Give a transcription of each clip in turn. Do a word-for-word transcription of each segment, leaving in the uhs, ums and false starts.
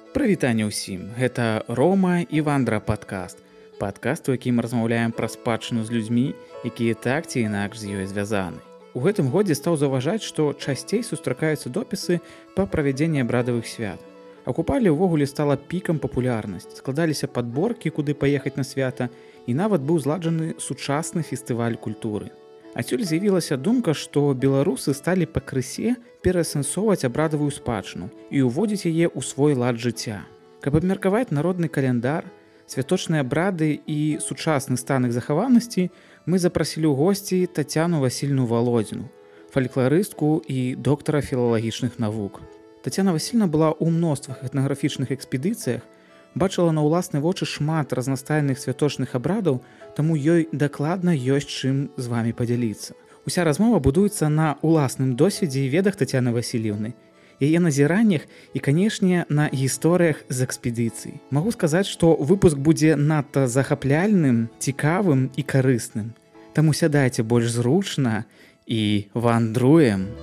Прывітанне ўсім, гэта Рома і Вандра падкаст. Падкаст, у якім размаўляем пра спадчыну з людзьмі, якія так ці інакш з ёй звязаны. У гэтым годзе стаў заўважаць, што часцей сустракаюцца допісы па правядзенні абрадавых свят. А купалі ўвогуле стала пікам папулярнасць, складаліся падборкі, куды паехаць на свята, і нават быў зладжаны сучасны фестываль культуры. Адсюль з'явілася думка, што беларусы сталі пакрысе пераасэнсоўваць абрадавую спадчыну і ўводзіць яе ў свой лад жыцця. Каб абмеркаваць народны каляндар, святочныя абрады і сучасны стан іх захаванасці, мы запрасілі ў госці Тацяну Васільевну Володзіну, фалькларыстку і доктара філалагічных навук. Тацяна Васільевна была ў мноствах этнаграфічных экспедыцыях, бачыла на ўласныя вочы шмат разнастайных святочных абрадаў, таму ёй дакладна ёсць чым з вамі падзяліцца. Уся размова будуецца на ўласным досведзе і ведах Тацяны Васільевны, яе назіраннях і, канешне, на гісторыях з экспедыцый. Магу сказаць, што выпуск будзе надта захапляльным, цікавым і карысным. Таму сядайце больш зручна і вандруем.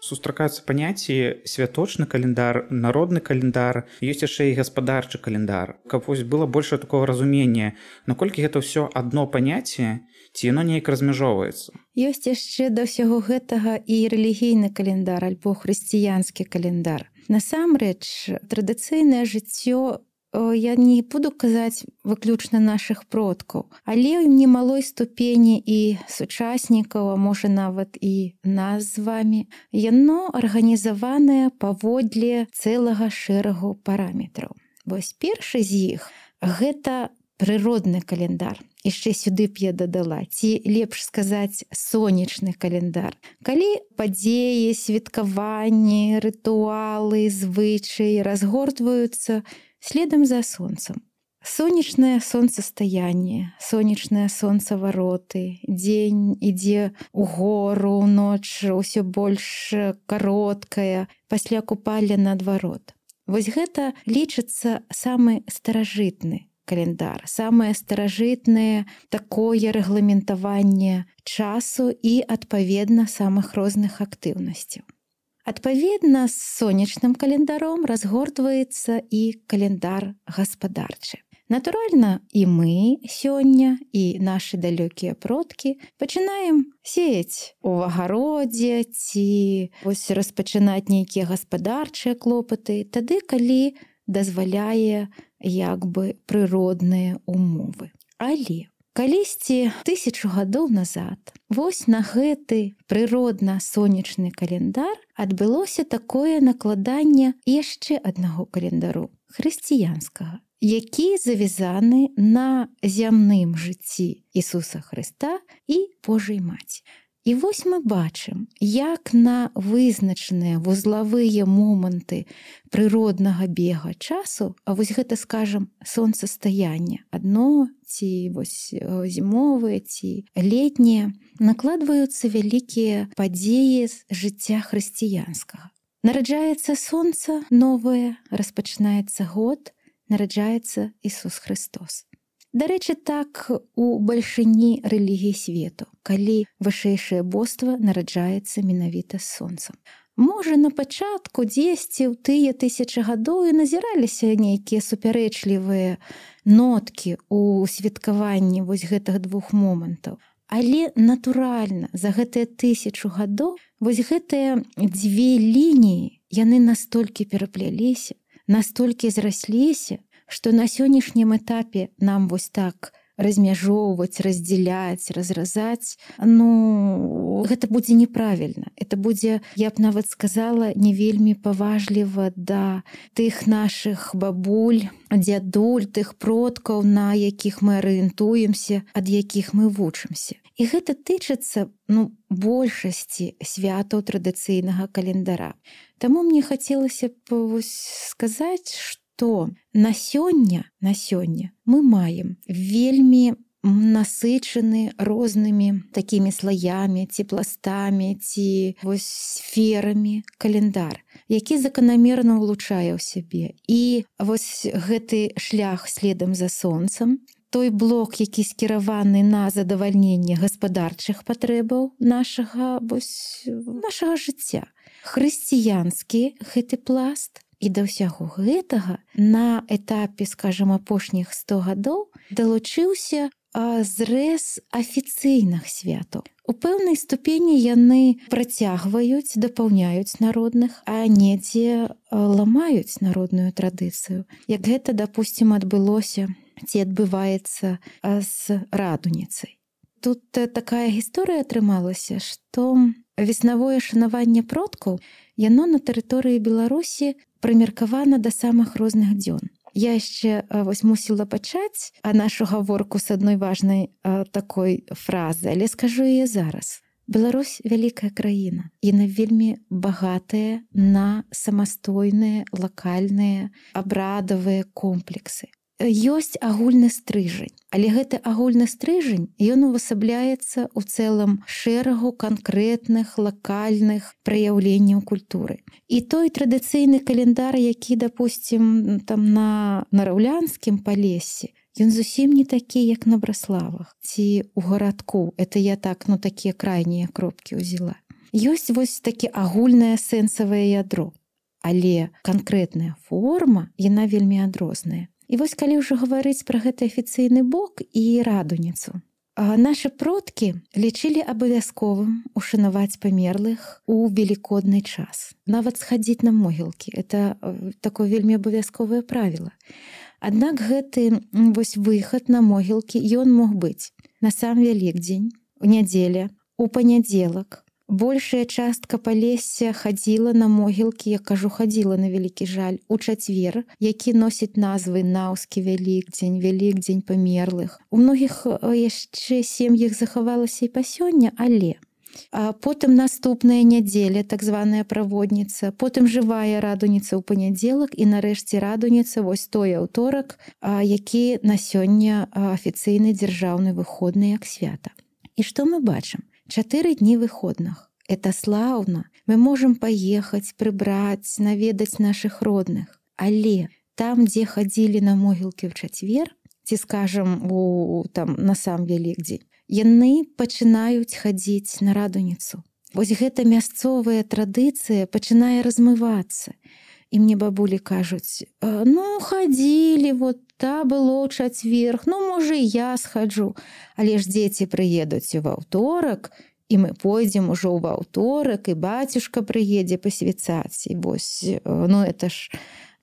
Сустракаюцца паняцці святочны календар, народны календар, ёсць яшчэ і гаспадарчы календар. Каб вось было больше такого разумення, наколькі гэта ўсё адно паняцце, ці яно неяк размяжоўваецца. Ёсць яшчэ да ўсяго гэтага і рэлігійны календар альбо хрысціянскі календар. Насамрэч, традыцыйнае жыццё я не буду казаць выключна нашых продкаў, але ў немалой ступені і сучаснікаў, а можа нават і нас з вамі, яно арганізаванае паводле цэлага шэрагу параметраў. Вось першы з іх гэта прыродны календар. Яшчэ сюды б я дадала, ці лепш сказаць сонечны календар. Калі падзеі, святкаванні, рытуалы, звычаі разгортваюцца следам за сонцам. Сонечнае сонцастаянне, сонечнае сонцавароты, дзень ідзе ўгору, ноч усё больш кароткая, пасля купалі наадварот. Вось гэта лічыцца самы старажытны календар, самае старажытнае такое рэгламентаванне часу і, адпаведна, самых розных актыўнасцяў. Адпаведна, з сонечным календаром разгортваецца і календар гаспадарчы. Натуральна, і мы сёння, і нашы далёкія продкі пачынаем сеяць у агародзе ці вось распачынаць нейкія гаспадарчыя клопаты, тады, калі дазваляе як бы прыродныя умовы. Але калісьці тысячу гадоў назад вось на гэты прыродна-сонечны календар адбылося такое накладанне яшчэ аднаго календару, хрысціянскага, які завязаны на зямным жыцці Ісуса Хрыста і Божай Маці. І вось мы бачым, як на вызначаныя вузлавыя моманты прыроднага бега часу, а вось гэта, скажам, сонцастаянне, адно ці вось зімовыя, ці летнія, накладваюцца вялікія падзеі з жыцця хрысціянскага. Нараджаецца сонца новае, распачынаецца год, нараджаецца Ісус Христос. Дарэчы, так у бальшыні рэлігій свету, калі вышэйшае боства нараджаецца менавіта з сонцам. Можа, на пачатку дзесьці ў тыя тысячы гадоў і назіраліся нейкія супярэчлівыя ноткі ў святкаванні вось гэтых двух момантаў. Але натуральна, за гэтыя тысячу гадоў вось гэтыя дзве лініі, яны настолькі перапляліся, настолькі зрасліся, што на сённяшнім этапе нам вось так размяжоўваць, раздзяляць, разразаць, ну, гэта будзе неправільна. Это будзе, я б нават сказала, не вельмі паважліва да тых нашых бабуль, дзядуль, тых продкаў, на якіх мы арыентуемся, ад якіх мы вучымся. І гэта тычыцца, ну, большасці святаў традыцыйнага календара. Таму мне хацелася б сказаць, што то на сёння, на сёння мы маем вельмі насычаны рознымі такімі слаямі, ці пластамі, ці вось сферамі календар, які заканамерна ўлучае ў сябе. І вось гэты шлях следам за сонцам, той блок, які скіраваны на задавальненне гаспадарчых патрэбаў нашага, вось, нашага жыцця. хрысціянскі гэты пласт. І да ўсяго гэтага на этапе, скажам, апошніх сто гадоў далучыўся зрэз афіцыйных святаў. У пэўнай ступені яны працягваюць, дапаўняюць народных, а недзе ламаюць народную традыцыю. Як гэта, дапусцім, адбылося ці адбываецца з радуніцай. Тут такая гісторыя атрымалася, што веснавое шанаванне продкаў яно на тэрыторыі Беларусі прымеркавана да самых розных дзён. Я яшчэ вось мусіла пачаць нашу гаворку з адной важнай а, такой фразы, але скажу яе зараз. Беларусь вялікая краіна, яна вельмі багатая на самастойныя, лакальныя, абрадавыя комплексы. Ёсць агульны стрыжань, але гэты агульны стрыжань, ён увасабляецца ў цэлым шэрагу канкрэтных лакальных праяўленняў культуры. І той традыцыйны календар, які, дапусцім, там на нараўлянскім палесе, ён зусім не такі, як на Браславах ці ў гарадку. Это я так, ну, такія крайнія кропкі ўзяла. Ёсць вось такі агульнае сэнсавае ядро, але канкрэтная форма, яна вельмі адрозная. І вось калі ўжо гаварыць пра гэты афіцыйны бок і радуніцу. Нашы продкі лічылі абавязковым ушанаваць памерлых у велікодны час. Нават схадзіць на могілкі. Это такое вельмі абавязковае правіла. Аднак гэты вось выхад на могілкі, ён мог быць на сам Вялікдзень, у нядзеля, у панядзелак. Большая частка палесся хадзіла на могілкі, я кажу, хадзіла на вялікі жаль, у чацвер, які носіць назвы Наўскі Вялікдзень, Вялікдзень памерлых. У многіх яшчэ сем'ях захавалася і па сёння, але а потым наступная нядзеля, так званая праводніца, потым жывая радуніца ў панядзелак і нарэшце радуніца, вось той аўторак, які на сёння афіцыйны дзяржаўны выходны як свята. І што мы бачым? Чатыры дні выходных. Это слаўна. Мы можам паехаць, прыбраць, наведаць нашых родных. Але там, дзе хадзілі на могілкі ў чацвер, ці, скажам, у, там, на сам Вялікдзень, яны пачынаюць хадзіць на радуніцу. Вось гэта мясцовая традыцыя пачынае размывацца. І мне бабулі кажуць, ну, хадзілі, вот та было ў чацвер, ну, можа, і я схаджу. Але ж дзеці прыедуць у аўторак, і мы пойдзем ужо ў аўторак, і бацюшка прыедзе пасвяцаць. І вось, ну, это ж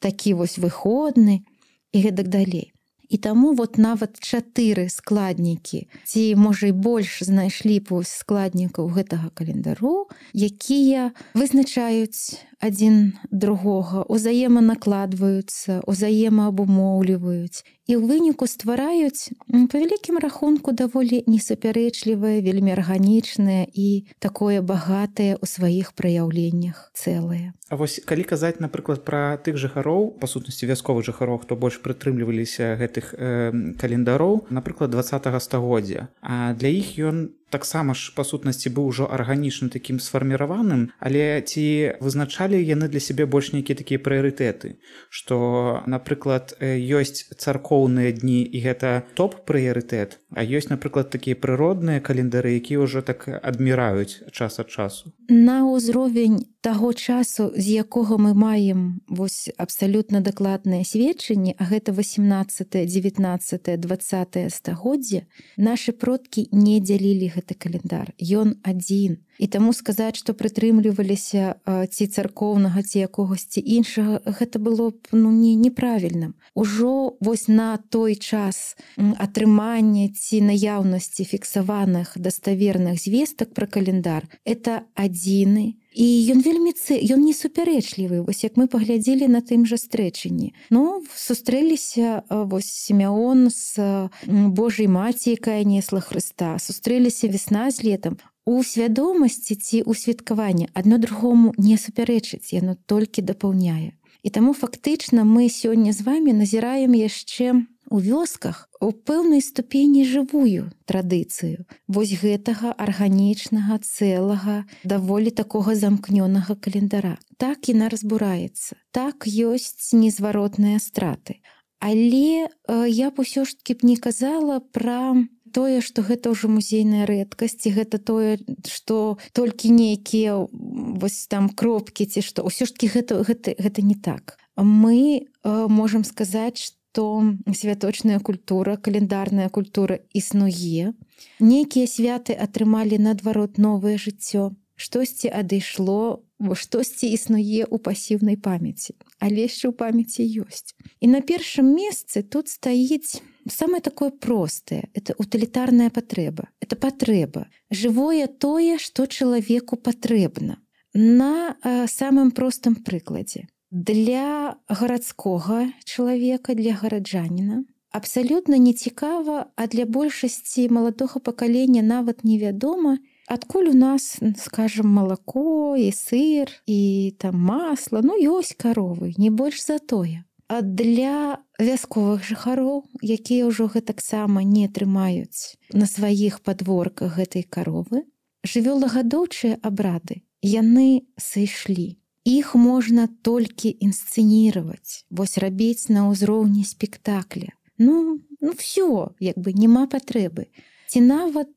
такі вось выходны, і гэтак далей. І таму вот нават чатыры складнікі, ці, можа, і больш знайшлі вось складнікаў гэтага календару, якія вызначаюць адзін другога, узаеманакладваюцца, узаемаабумоўліваюць і ў выніку ствараюць, па вялікім рахунку, даволі несупярэчлівае, вельмі арганічнае і такое багатае ў сваіх праяўленнях цэлае. А вось калі казаць, напрыклад, пра тых жыхароў, па сутнасці вясковых жыхароў, хто больш прытрымліваліся гэтых э, календароў, напрыклад, дваццатага стагоддзя, а для іх ён таксама ж, па сутнасці, быў ужо арганічна такім сфарміраваным, але ці вызначалі яны для сябе больш нейкія такія прыярытэты, што, напрыклад, ёсць царкоўныя дні, і гэта топ-прыярытэт, а ёсць, напрыклад, такія прыродныя календары, якія ўжо так адміраюць час ад часу. На ўзровень таго часу, з якога мы маем вось абсалютна дакладныя сведчанні, а гэта васемнаццатае, дзевятнаццатае, дваццатае стагоддзе, нашы продкі не дзялілі гэты календар. Ён адзін. І таму сказаць, што прытрымліваліся ці царкоўнага, ці якогасьці іншага, гэта было б, ну, не, неправільным. Ужо вось на той час атрымання ці наяўнасці фіксаваных даставерных звестак пра календар, это адзіны. І ён вельмі цы... ён не супярэчлівы. Вось як мы паглядзелі на тым жа стрэчанні. Ну, сустрэліся вось Сімеон з Божай маці, якая несла Хрыста. Сустрэліся весна з летам. У свядомасці ці ў святкаванні адно другому не супярэчыць, яно толькі дапаўняе. І таму фактычна мы сёння з вамі назіраем яшчэ у вёсках у пэўнай ступені жывую традыцыю вось гэтага арганічнага, цэлага, даволі такога замкнёнага календара. Так яна разбураецца. Так ёсць незваротныя страты. Але э, я б усё ж такі б не казала пра тое, што гэта ўжо музейная рэдкасць, і гэта тое, што толькі нейкія вось там кропкі ці што ўсё ж таки гэта, гэта, гэта не так. Мы э, можам сказаць, што святочная культура, календарная культура існуе. Нейкія святы атрымалі наадварот новае жыццё. Штосьці адышло, штосьці існуе ў пасіўнай памяці, але яшчэ ў памяці ёсць. І на першым месцы тут стаіць самае такое простае, это утылітарная патрэба. Это патрэба. Жывое тое, што чалавеку патрэбна. На э, самым простым прыкладзе. Для гарадскога чалавека, для гараджаніна абсалютна нецікава, а для большасці маладога пакалення нават невядома, адкуль у нас, скажем, малако і сыр і там масла, ну ёсць каровы, не больш за тое. А для вясковых жыхароў, якія ўжо гэтаксама не трымаюць на сваіх падворках гэтай каровы, жывёлагадоўчыя абрады, яны сышлі. Іх можна толькі інсцэніраваць, вось рабіць на ўзроўні спектакля. Ну, ну всё, як бы няма патрэбы. Ці нават,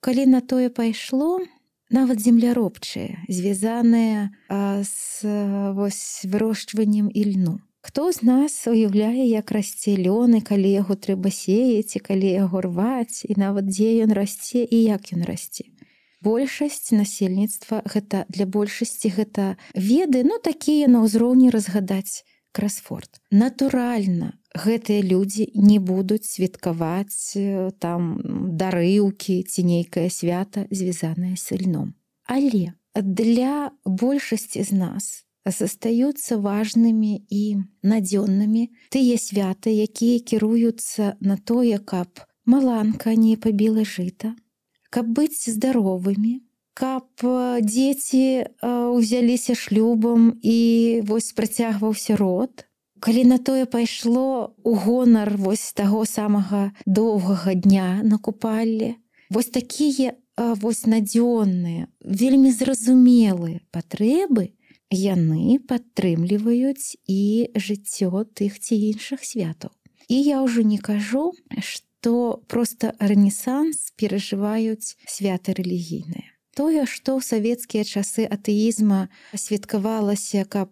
калі на тое пайшло, нават земляробчыя, звязаныя з вось вырошчваннем ільну. Хто з нас уяўляе, як расце лён, і калі яго трэба сеяць, і калі яго рваць, і нават дзе ён расце і як ён расце. Большасць насельніцтва, гэта для большасці гэта веды, ну такія на ўзроўні разгадаць красфорд. Натуральна, гэтыя людзі не будуць святкаваць там дарыўкі ці нейкае свята, звязанае з ільном. Але для большасці з нас застаюцца важнымі і надзённымі тыя святы, якія кіруюцца на тое, каб маланка не пабіла жыта, каб быць здаровымі, каб дзеці ўзяліся шлюбам і вось працягваўся род. Калі на тое пайшло у гонар вось таго самага доўгага дня на купалле, вось такія вось надзённыя, вельмі зразумелыя патрэбы, яны падтрымліваюць і жыццё тых ці іншых святаў. І я ўжо не кажу, што то проста рэнесанс перажываюць святы рэлігійныя. Тое, што ў савецкія часы атэізма святкавалася, каб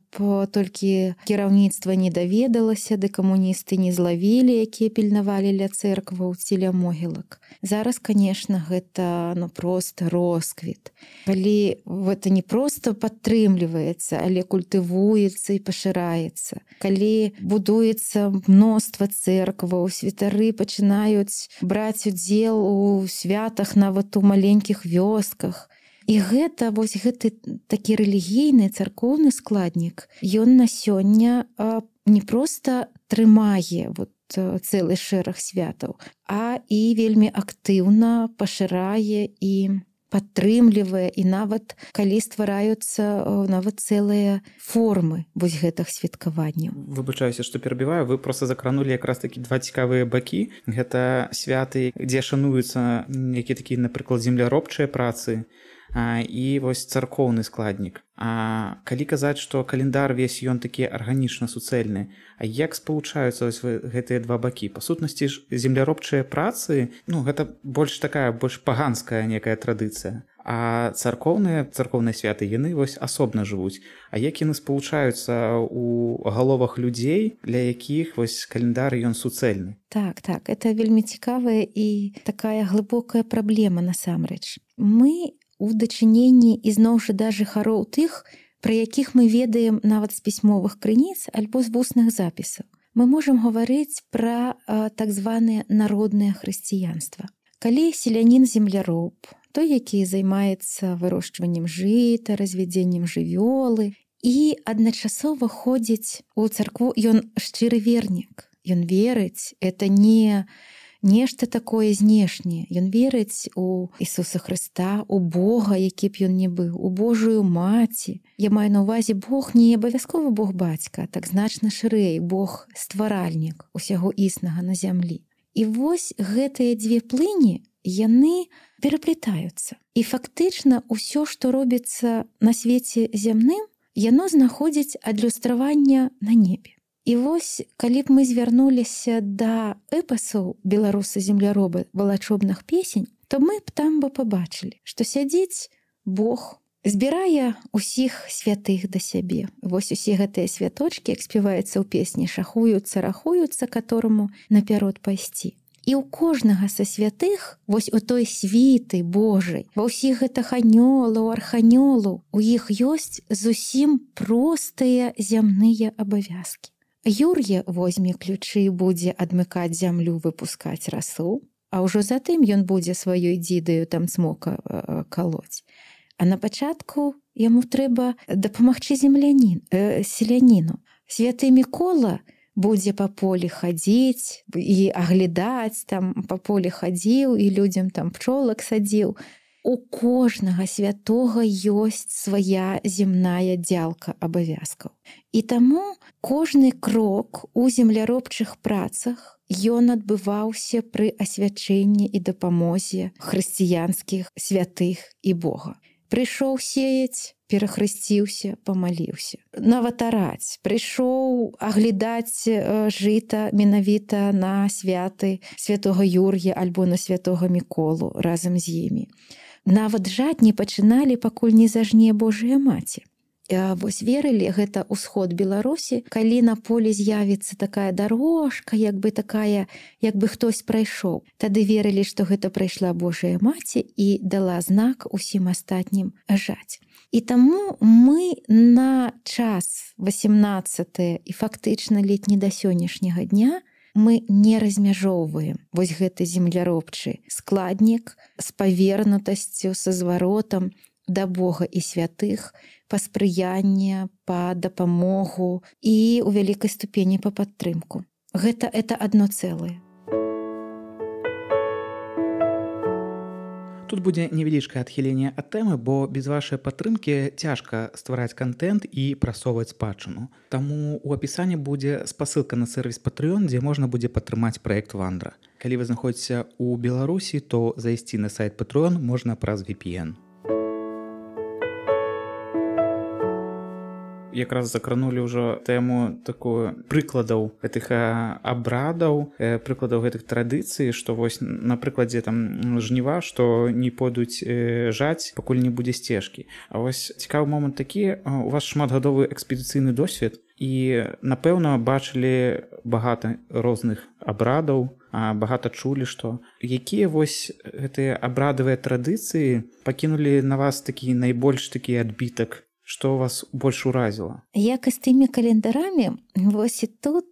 толькі кіраўніцтва не даведалася, ды камуністы не злавілі, якія пільнавалі ля цэркваў ці ля могілак. Зараз, канешне, гэта ну, проста росквіт. Калі гэта не проста падтрымліваецца, але культывуецца і пашыраецца. Калі будуецца мноства цэркваў, святары пачынаюць браць удзел у святах нават у маленькіх вёсках. І гэта вось гэты такі рэлігійны царкоўны складнік, ён на сёння не проста трымае вот цэлы шэраг святаў, а і вельмі актыўна пашырае і падтрымлівае, і нават калі ствараюцца нават цэлыя формы вось гэтых святкаванняў. Выбачаюся, што перабіваю, вы проста закранулі якраз такі два цікавыя бакі. Гэта святы, дзе шануюцца нейкія такія, напрыклад, земляробчыя працы, А, і вось царкоўны складнік. А калі казаць, што календар весь ён такі арганічна суцэльны, а як спалучаюцца вось гэтыя два бакі? Па сутнасці ж земляробчыя працы, ну гэта больш такая больш паганская некая традыцыя. А царкоўныя царкоўныя святы яны вось асобна жывуць. А як яны спалучаюцца ў галовах людзей, для якіх вось календар ён суцэльны? Так, так, это вельмі цікавая і такая глыбокая праблема насамрэч. Мы у дачыненні ізноў жа да жыхароў тых, пра якіх мы ведаем нават з пісьмовых крыніц альбо з вусных запісаў. Мы можам гаварыць пра а, так званае народнае хрысціянства. Калі селянін-земляроб, той, які займаецца вырошчваннем жыта, развядзеннем жывёлы і адначасова ходзіць у царкву, ён шчыры вернік. Ён верыць, это не нешта такое знешняе. Ён верыць у Ісуса Хрыста, у Бога, які б ён не быў, у Божую маці. Я маю на ўвазе Бог не абавязкова Бог бацька, так значна шырэй, Бог стваральнік усяго існага на зямлі. І вось гэтыя дзве плыні, яны пераплетаюцца. І фактычна ўсё, што робіцца на свеце зямным, яно знаходзіць адлюстраванне на небе. І вось калі б мы звярнуліся да эпасаў беларуса-земляроба валачобных песень, то мы б там бы пабачылі, што сядзіць Бог, збірае усіх святых да сябе. Вось усе гэтыя святочкі, як спяваецца ў песні, шахуюцца, рахуюцца, катораму наперад пайсці. І ў кожнага са святых, вось у той світы Божай, ва ўсіх гэтых анёлаў, арханёлаў, у іх ёсць зусім простыя зямныя абавязкі. Юр'е возьме ключы і будзе адмыкаць зямлю, выпускаць расу, а ўжо затым ён будзе сваёй дзідаю там цмока э, калоць. А на пачатку яму трэба дапамагчы землянін, э, селяніну. Святы Мікола будзе па полі хадзіць і аглядаць, там па полі хадзіў і людзям там пчолак садзіў. У кожнага святога ёсць свая земная дзялка абавязкаў. І таму кожны крок у земляробчых працах ён адбываўся пры асвячэнні і дапамозе хрысціянскіх святых і Бога. Прыйшоў сеяць, перахрысціўся, памаліўся. Нават араць. Прыйшоў аглядаць жыта менавіта на святы святога Юр'я альбо на святога Міколу разам з імі. Нават жаць не пачыналі, пакуль не зажне Божая маці. Вось верылі, гэта ўсход Беларусі, калі на полі з'явіцца такая дарожка, як бы такая, як бы хтось прайшоў. Тады верылі, што гэта прайшла Божая маці і дала знак усім астатнім жаць. І таму мы на час васемнаццатае і фактычна ледзь не да сённяшняга дня мы не размяжоўваем вось гэты земляробчы складнік з павернутасцю, са зваротам да Бога і святых, па спрыянне, па дапамогу і ў вялікай ступені па падтрымку. Гэта это адно цэлае. Тут будзе невялічкае адхіленне ад тэмы, бо без вашай падтрымкі цяжка ствараць кантэнт і прасоўваць спадчыну. Таму ў апісанні будзе спасылка на сервіс Patreon, дзе можна будзе падтрымаць праект Вандра. Калі вы знаходзіцеся ў Беларусі, то зайсці на сайт Patreon можна праз ви пі эн. Якраз закранулі ўжо тэму такую прыкладаў гэтых абрадаў, прыкладаў гэтых традыцый, што вось на прыкладзе там жніва, што не пойдуць жаць, пакуль не будзе сцежкі. А вось цікавы момант такі, у вас шматгадовы экспедыцыйны досвед і, напэўна, бачылі багата розных абрадаў, багата чулі, што якія вось гэтыя абрадавыя традыцыі пакінулі на вас такі найбольш такі адбітак, што вас больш уразіла? Як і з тымі календарамі, вось і тут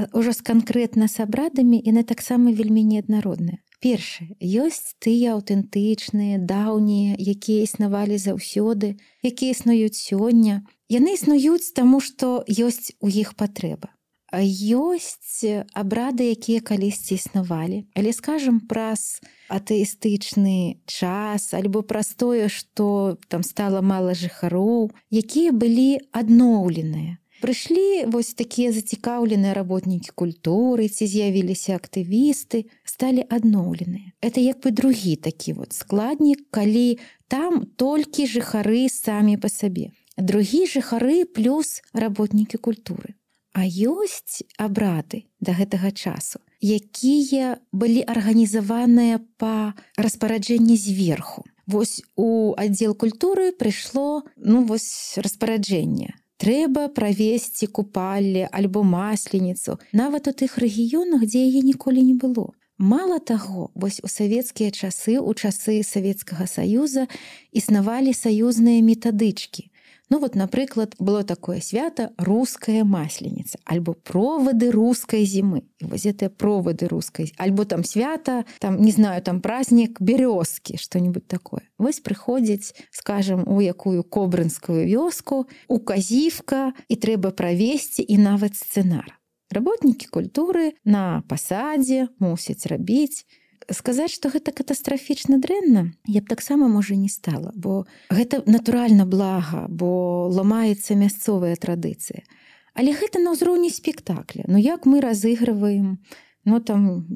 ўжо з канкрэтна з абрадамі яны таксама вельмі неаднародныя. Першае, ёсць тыя аўтэнтычныя, даўнія, якія існавалі заўсёды, якія існуюць сёння. Яны існуюць таму, што ёсць у іх патрэба. А ёсць абрады, якія калісьці існавалі. Але, скажам, праз атэістычны час, альбо праз тое, што там стала мала жыхароў, якія былі адноўленыя. Прыйшлі вось такія зацікаўленыя работнікі культуры, ці з'явіліся актывісты, сталі адноўленыя. Это як бы другі такі вот складнік, калі там толькі жыхары самі па сабе. Другі жыхары плюс работнікі культуры. А ёсць абрады да гэтага часу, якія былі арганізаваныя па распараджэнні зверху. Вось у аддзел культуры прыйшло, ну вось распараджэнне. Трэба правесці купалле альбо масленіцу, нават у тых рэгіёнах, дзе яе ніколі не было. Мала таго, вось у савецкія часы, у часы Савецкага Саюза існавалі саюзныя метадычкі. Ну вот, напрыклад, было такое свята руская масленіца, альбо провады рускай зімы. І вось гэтыя провады рускай, альбо там свята, там, не знаю, там празднік бярозкі, што-нибудь такое. Вось прыходзіць, скажем, у якую кобрынскую вёску, указівка, і трэба правесці і нават сцэнар. Работнікі культуры на пасадзе мусяць рабіць. Сказаць, што гэта катастрафічна дрэнна, я б таксама, можа, не стала, бо гэта натуральна блага, бо ламаецца мясцовая традыцыя. Але гэта на ўзроўні спектакля. Ну як мы разыгрываем, ну там,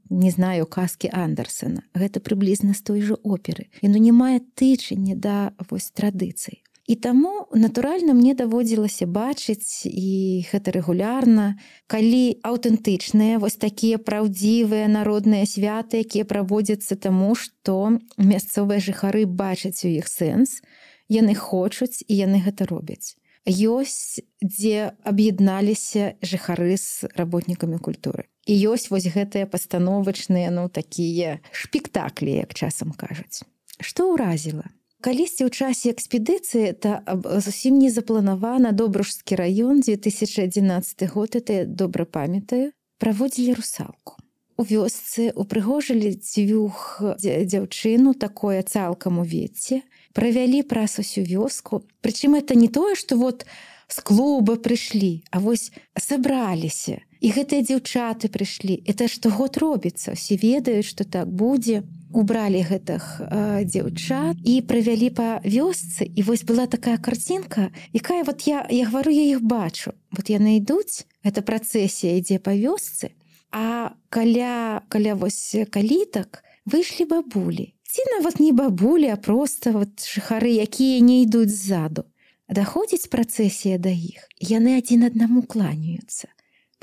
не знаю, казкі Андерсена. Гэта прыблізна з той жа оперы. Яно не мае тычання да вось традыцый. І таму, натуральна, мне даводзілася бачыць, і гэта рэгулярна, калі аўтэнтычныя, вось такія праўдзівыя народныя святы, якія праводзяцца таму, што мясцовыя жыхары бачаць у іх сэнс, яны хочуць і яны гэта робяць. Ёсць, дзе аб'ядналіся жыхары з работнікамі культуры. І ёсць вось гэтыя пастановачныя, ну, такія шпектаклі, як часам кажуць. Што ўразіла? Калісьці ў часе экспедыцыі, это зусім не запланавана, Добружскі раён, две тысячи адзінаццаты год, это я добра памятаю, праводзілі русалку. У вёсцы упрыгожылі дзвюх дзяўчыну, такое цалкам у вецце, правялі праз усю вёску. Прычым это не тое, што вот з клуба прыйшлі, а вось сабраліся. І гэтыя дзяўчаты прыйшлі. Это штогод робіцца. Усе ведаюць, што так будзе. Убралі гэтых э, дзяўчат і правялі па вёсцы. І вось была такая карцінка, якая вот я, я говорю, я іх бачу. Вот яны ідуць, эта працэсія ідзе па вёсцы, а каля, каля вось калітак выйшлі бабулі. Ці нават не бабулі, а проста вот жыхары, якія не ідуць ззаду. Даходзіць працэсія да іх, яны адзін аднаму кланяюцца.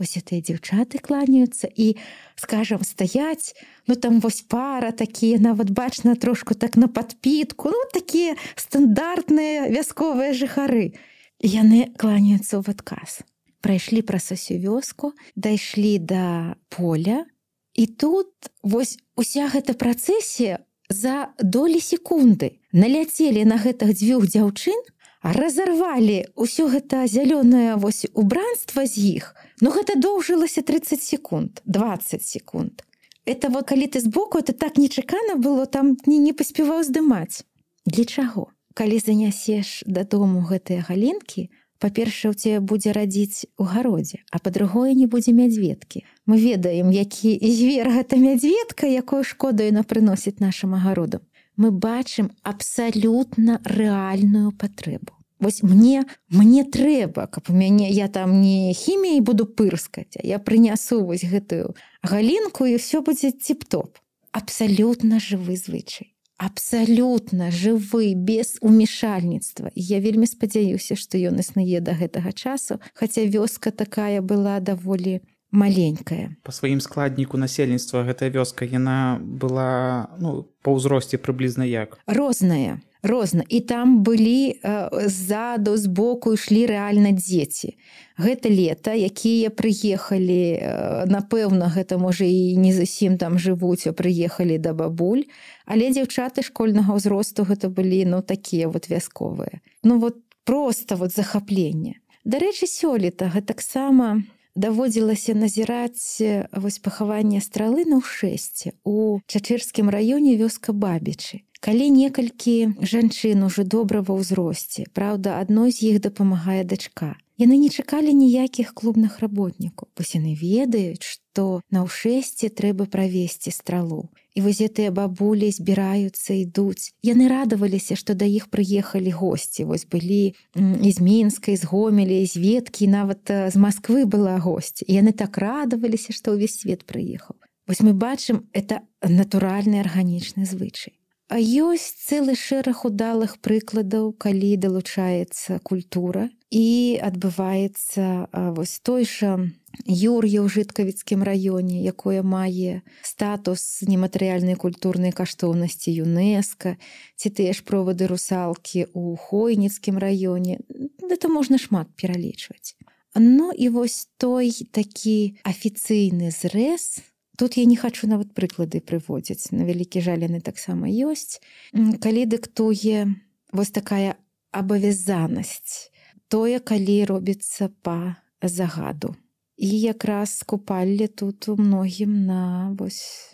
Вось гэтыя дзяўчаты кланяюцца і, скажам, стаяць, ну там вось пара такія, нават бачна трошку так на падпітку, ну такія стандартныя вясковыя жыхары. Яны кланяюцца ў адказ. Прайшлі праз усю вёску, дайшлі да поля, і тут вось уся гэта працэсія за долі секунды наляцелі на гэтых дзвюх дзяўчын, разарвалі ўсё гэта зялёнае вось убранства з іх, ну гэта доўжылася тридцать секунд, двадцать секунд. Это вот калі ты збоку, это так нечакана было, там не, не паспяваў здымаць. Для чаго? Калі занясеш дадому гэтыя галінкі, па-першае, у цябе будзе радзіць у гародзе, а па-другое, не будзе мядзведкі. Мы ведаем, які звер гэта мядзведка, якую шкоду яна прыносіць нашым агародам. Мы бачым абсалютна рэальную патрэбу. Вось мне, мне трэба, каб у мяне, я там не хіміяй буду пырскаць, а я прынясу вось гэтую галінку, і ўсё будзе ціп-топ. Абсалютна жывы звычай. Абсалютна жывы, без умешальніцтва. І я вельмі спадзяюся, што ён існуе да гэтага часу, хаця вёска такая была даволі маленькая. Па сваім складніку насельніцтва гэтая вёска, яна была, ну, па ўзросце прыблізна як? Розная. Розна. І там былі э, ззаду, збоку ішлі рэальна дзеці. Гэта лета, якія прыехалі, э, напэўна, гэта можа і не зусім там жывуць, а прыехалі да бабуль, але дзяўчаты школьнага ўзросту гэта былі, ну, такія вот вясковыя. Ну, вот проста вот захапленне. Дарэчы, сёлета гэтаксама даводзілася назіраць вось пахаванне стралы на ўшэсце у Чачырскім раёне, вёска Бабічы. Калі некалькі жанчын ужо добра ва ўзросце, праўда, адной з іх дапамагае дачка. Яны не чакалі ніякіх клубных работнікаў, бо яны ведаюць, што на ўшэсце трэба правесці стралу. І вось гэтыя бабулі збіраюцца, ідуць. Яны радаваліся, што да іх прыехалі госці. Вось былі з Мінска, з Гомеля, з Веткі, нават з Масквы была госць. І яны так радаваліся, што ўвесь свет прыехаў. Вось мы бачым, это натуральны арганічны звычай. А ёсць цэлы шэраг удалых прыкладаў, калі далучаецца культура і адбываецца вось той жа Юр'я ў Жыткавіцкім раёне, якое мае статус нематэрыяльнай культурнай каштоўнасці ЮНЕСКА, ці тыя ж провады русалкі ў Хойніцкім раёне. Гэта можна шмат пералічваць. Ну і вось той такі афіцыйны зрэз. Тут я не хачу нават прыклады прыводзіць. На вялікі жаль, яны таксама ёсць. Калі дыктуе вось такая абавязанасць, тое, калі робіцца па загаду. І якраз купалле тут у многім на вось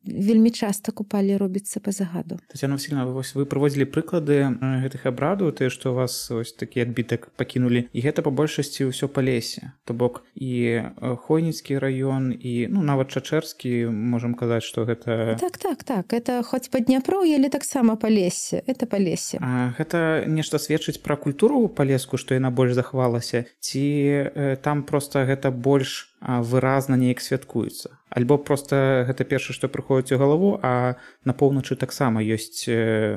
вельмі часта купалле робіцца па загаду. Тацяна Васільевна, вось вы прыводзілі прыклады гэтых абрадаў, тыя, што у вас ось такі адбітак пакінулі, і гэта па большасці ўсё па лесе. То бок і Хойніцкі раён, і ну нават Чачэрскі, можам казаць, што гэта... Так, так, так. Это хоць па Дняпроўі, але таксама па лесе. Это па лесе. А гэта нешта сведчыць пра культуру палеску, што яна больш захавалася? Ці э, там проста гэта больш выразна неяк святкуецца. Альбо проста гэта першае, што прыходзіць у галаву, а на поўначы таксама ёсць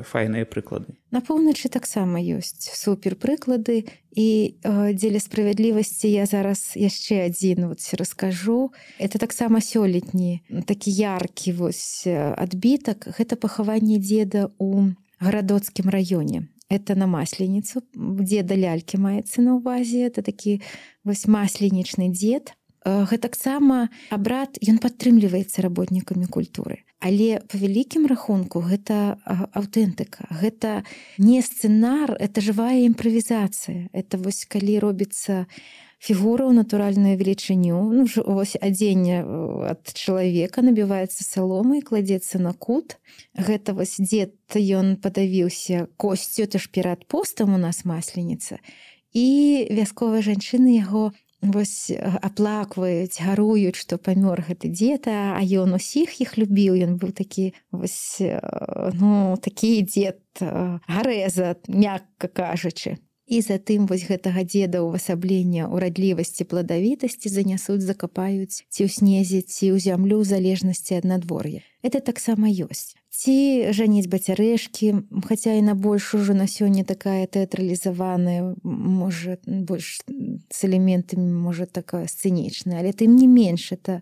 файныя прыклады. На поўначы таксама ёсць супер прыклады, і э, дзеля справядлівасці я зараз яшчэ адзін вот раскажу. Это таксама сёлетні такі яркі вось адбітак. Гэта пахаванне дзеда ў Гарадоцкім раёне. Это на Масленіцу. Дзеда лялькі маецца на ўвазе. Это такі вось масленічны дзед. Гэта таксама абрад, ён падтрымліваецца работнікамі культуры. Але па вялікім рахунку гэта аўтэнтыка. Гэта не сцэнар, это жывая імправізацыя. Это вось калі робіцца фігура ў натуральную велічыню, ну, вось адзенне ад чалавека набіваецца саломай, кладзецца на кут. Гэта вось дзед, ён падавіўся косцю, это ж перад постам у нас Масленіца. І вясковыя жанчыны яго вось аплакваюць, гаруюць, што памёр гэты дзед, а ён усіх іх любіў. Ён быў такі вось, ну, такі дзед гарэза, мякка кажучы. І затым вось гэтага дзеда ўвасаблення урадлівасці, пладавітасці занясуць, закапаюць ці ў снезе, ці ў зямлю ў залежнасці ад надвор'я. Это таксама ёсць. Ці жаніць бацярэшкі, хаця і на больш ужо на сёння такая тэатралізаваная, можа, больш з элементамі, можа, такая сцэнічная, але тым не менш, это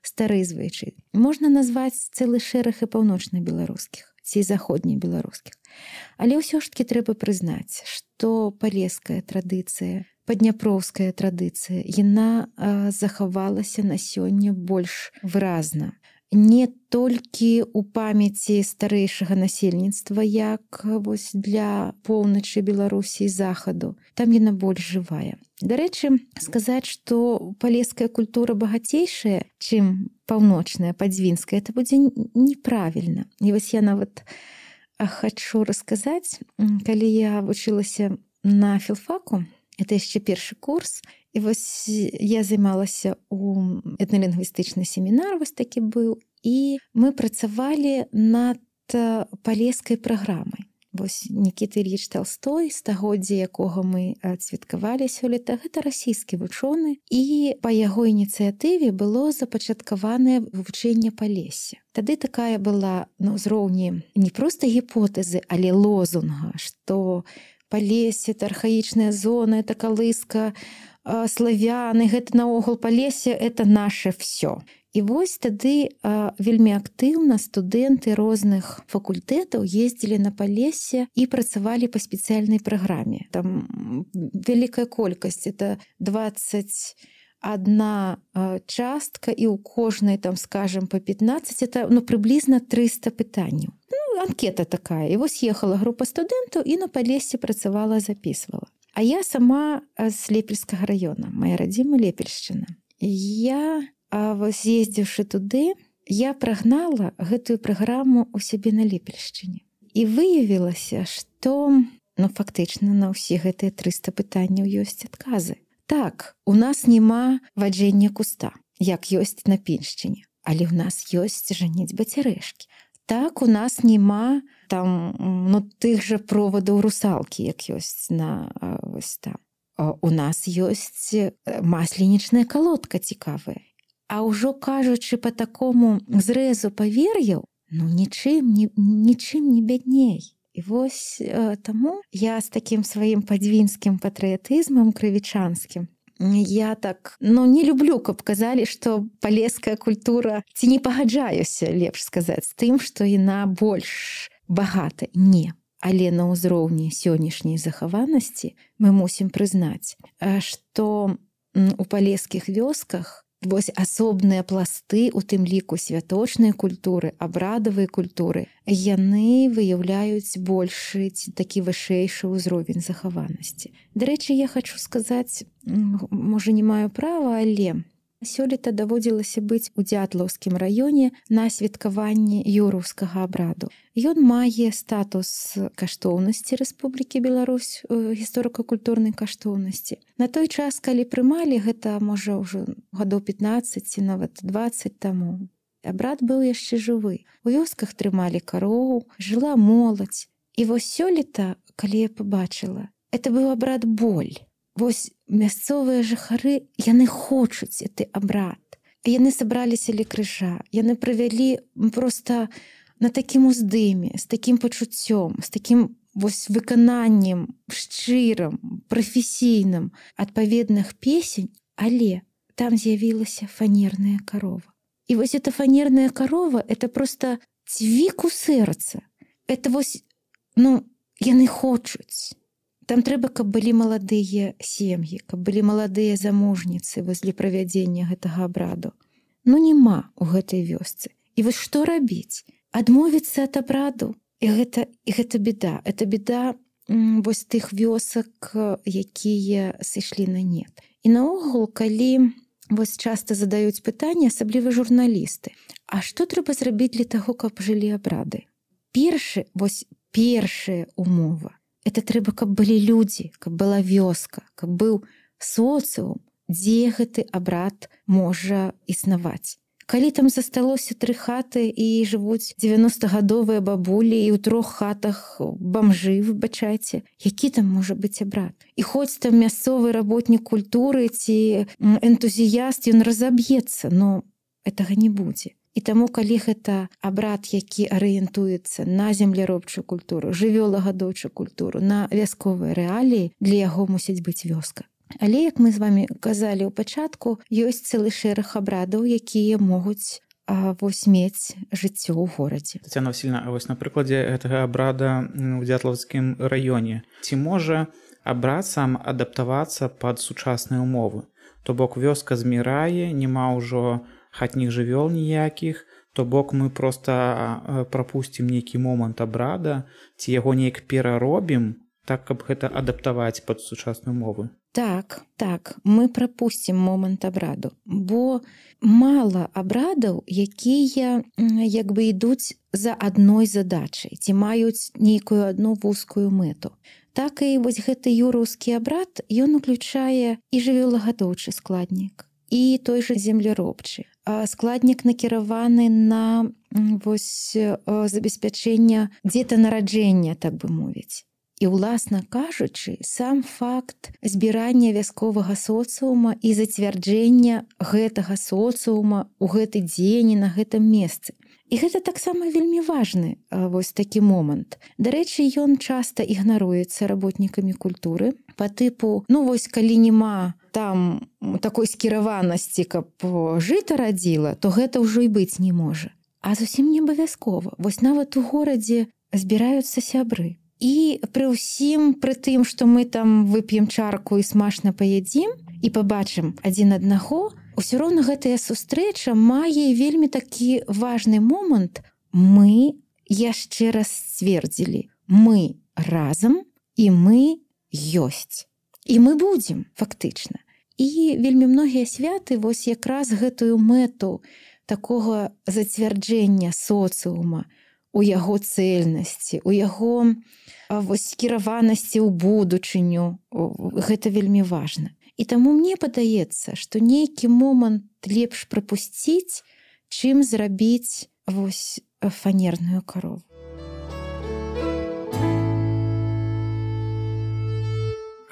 стары звычай. Можна назваць цэлы шэраг і паўночна-беларускіх, ці заходне-беларускіх. Але ўсё ж такі трэба прызнаць, што палеская традыцыя, падняпроўская традыцыя, яна захавалася на сёння больш выразна. Не толькі ў памяці старэйшага насельніцтва, як вось для поўначы Беларусі і захаду. Там яна больш жывая. Дарэчы, сказаць, што палеская культура багацейшая, чым паўночная, падзвінская, это будзе неправільна. І вось я нават хачу расказаць, калі я вучылася на філфаку, это яшчэ першы курс, і вось я займалася ў этналінгвістычны семінар, вось такі быў, і мы працавалі над палескай праграмай. Вось Нікіта Ільіч Талстой, стагоддзя якога мы адсвяткавалі сёлета, гэта расійскі вучоны, і па яго ініцыятыве было запачаткаванае вывучэнне Палесся. Тады такая была на ўзроўні не проста гіпотэзы, але лозунга, што Палессе — это архаічная зона, это калыска славяны, гэта наогул Палессе — это наше всё. І вось тады а, вельмі актыўна студэнты розных факультэтаў ездзілі на Палессе і працавалі па спецыяльнай праграме. Там вялікая колькасць, это двадцать одна а, частка, і ў кожнай, там, скажем, по пятнадцать, это ну, прыблізна триста пытанняў. Ну, анкета такая. І вось ехала група студэнтаў і на Палессе працавала, записывала. А я сама з Лепельскага раёна, моя радзіма Лепельшчына. Я А вось ездзіўшы туды, я прагнала гэтую праграму ў сябе на Лепельшчыне. І выявілася, што ну, фактычна на ўсе гэтыя трыста пытанняў ёсць адказы. Так, у нас няма ваджэння куста, як ёсць на Піншчыне, але ў нас ёсць жаніць бацярэшкі. Так, у нас няма там ну, тых жа провадаў русалкі, як ёсць на вось там. У нас ёсць масленічная калодка цікавая. А ўжо кажучы па такому зрэзу павер'яў, ну нічым, ні, нічым не бядней. І вось э, таму я з такім сваім падзвінскім патрыятызмам крывічанскім, я так, ну не люблю, каб казалі, што палеская культура, ці не пагаджаюся, лепш сказаць, з тым, што яна больш багата. Не. Але на ўзроўні сённяшняй захаванасці мы мусім прызнаць, што у палескіх вёсках вось асобныя пласты, у тым ліку святочнай культуры, абрадавай культуры, яны выяўляюць большы такі вышэйшы ўзровень захаванасці. Дарэчы, я хачу сказаць, можа, не маю права, але сёлета даводзілася быць у Дзятлаўскім раёне на святкаванні юраўскага абраду. Ён мае статус каштоўнасці Рэспублікі Беларусь, гісторыка-культурнай каштоўнасці. На той час, калі прымалі, гэта, можа, ўжо гадоў пятнаццаць ці нават дваццаць таму, абрад быў яшчэ жывы. У вёсках трымалі кароў, жыла моладзь. І вось сёлета, калі я пабачыла, это быў абрад боль. вось мясцовыя жыхары, яны хочуць гэты абрад. Яны сабраліся ля крыжа, яны правялі проста на такім уздыме, з такім пачуццём, з такім вось выкананнем шчырым, прафесійным адпаведных песень, але там з'явілася фанерная карова. І вось эта фанерная карова, это проста цвік у сэрца. Это вось, ну, яны хочуць. Там трэба, каб былі маладыя сем'і, каб былі маладыя замужніцы возле правядзення гэтага абраду. Ну, няма ў гэтай вёсцы. І вось што рабіць? Адмовіцца ад абраду? І гэта, і гэта беда. Это беда м, вось тых вёсак, якія сышлі на нет. І наогул, калі вось часта задаюць пытанне, асабліва журналісты, а што трэба зрабіць для таго, каб жылі абрады? Першы, вось першая умова. Это трэба, каб былі людзі, каб была вёска, каб быў соцыум, дзе гэты абрад можа існаваць. Калі там засталося тры хаты і жывуць дзевяностагадовыя бабулі і ў трох хатах бамжы, выбачайце, які там можа быць абрад? І хоць там мясцовы работнік культуры ці энтузіяст, ён разаб'ецца, но гэтага не будзе. І таму, калі гэта абрад, які арыентуецца на земляробчую культуру, жывёлагадоўчую культуру, на вясковыя рэаліі, для яго мусіць быць вёска. Але, як мы з вамі казалі ў пачатку, ёсць цэлы шэраг абрадаў, якія могуць а, вось мець жыццё ў горадзе. Тацяна Васільевна, а вось на прыкладзе гэтага абрада ў Дзятлаўскім раёне, ці можа абрад сам адаптавацца пад сучасныя ўмовы? То бок вёска змірае, няма ўжо хатніх жывёл ніякіх, то бок мы проста прапусцім нейкі момант абрада, ці яго неяк пераробім, так, каб гэта адаптаваць пад сучасныя умовы. Так, так, мы прапусцім момант абраду, бо мала абрадаў, якія як бы ідуць за адной задачай, ці маюць нейкую адну вузкую мэту. Так і вось гэты юраўскі абрад, ён уключае і жывёлагадоўчы складнік, і той жа земляробчы. Складнік накіраваны на вось забеспячэнне дзетанараджэння, так бы мовіць. І, уласна кажучы, сам факт збірання вясковага соцыума і зацвярджэння гэтага соцыума ў гэты дзень і на гэтым месцы. І гэта таксама вельмі важны вось такі момант. Дарэчы, ён часта ігнаруецца работнікамі культуры па тыпу, ну вось калі няма там такой скіраванасці, каб жыта радзіла, то гэта ўжо і быць не можа. А зусім не абавязкова. Вось нават у горадзе збіраюцца сябры. І пры ўсім, пры тым, што мы там вып'ем чарку і смачна паядзім і пабачым адзін аднаго, усё роўна гэтая сустрэча мае вельмі такі важны момант. Мы яшчэ раз сцвердзілі. Мы разам і мы ёсць. І мы будзем, фактычна. І вельмі многія святы вось якраз гэтую мэту такога зацвярджэння соцыума, у яго цэльнасці, у яго вось скіраванасці ў будучыню. Гэта вельмі важна. І таму мне падаецца, што нейкі момант лепш прапусціць, чым зрабіць вось фанерную карову.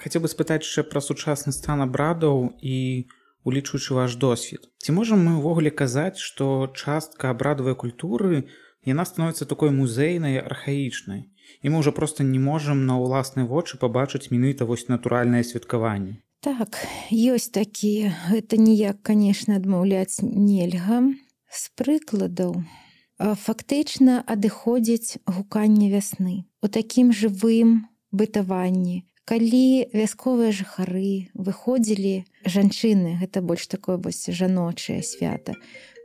Хацеў бы спытаць яшчэ пра сучасны стан абрадаў і улічваючы ваш досвед. Ці можам мы ўвогуле казаць, што частка абрадавай культуры яна становіцца такой музейнай, архаічнай, і мы ўжо проста не можам на ўласныя вочы пабачыць менавіта вось натуральнае святкаванне? Так, ёсць такія. Гэта ніяк, канешне, адмаўляць нельга. З прыкладаў, фактычна адыходзіць гуканне вясны у такім жывым бытаванні. Калі вясковыя жыхары выходзілі, жанчыны, гэта больш такое вось жаночае свята,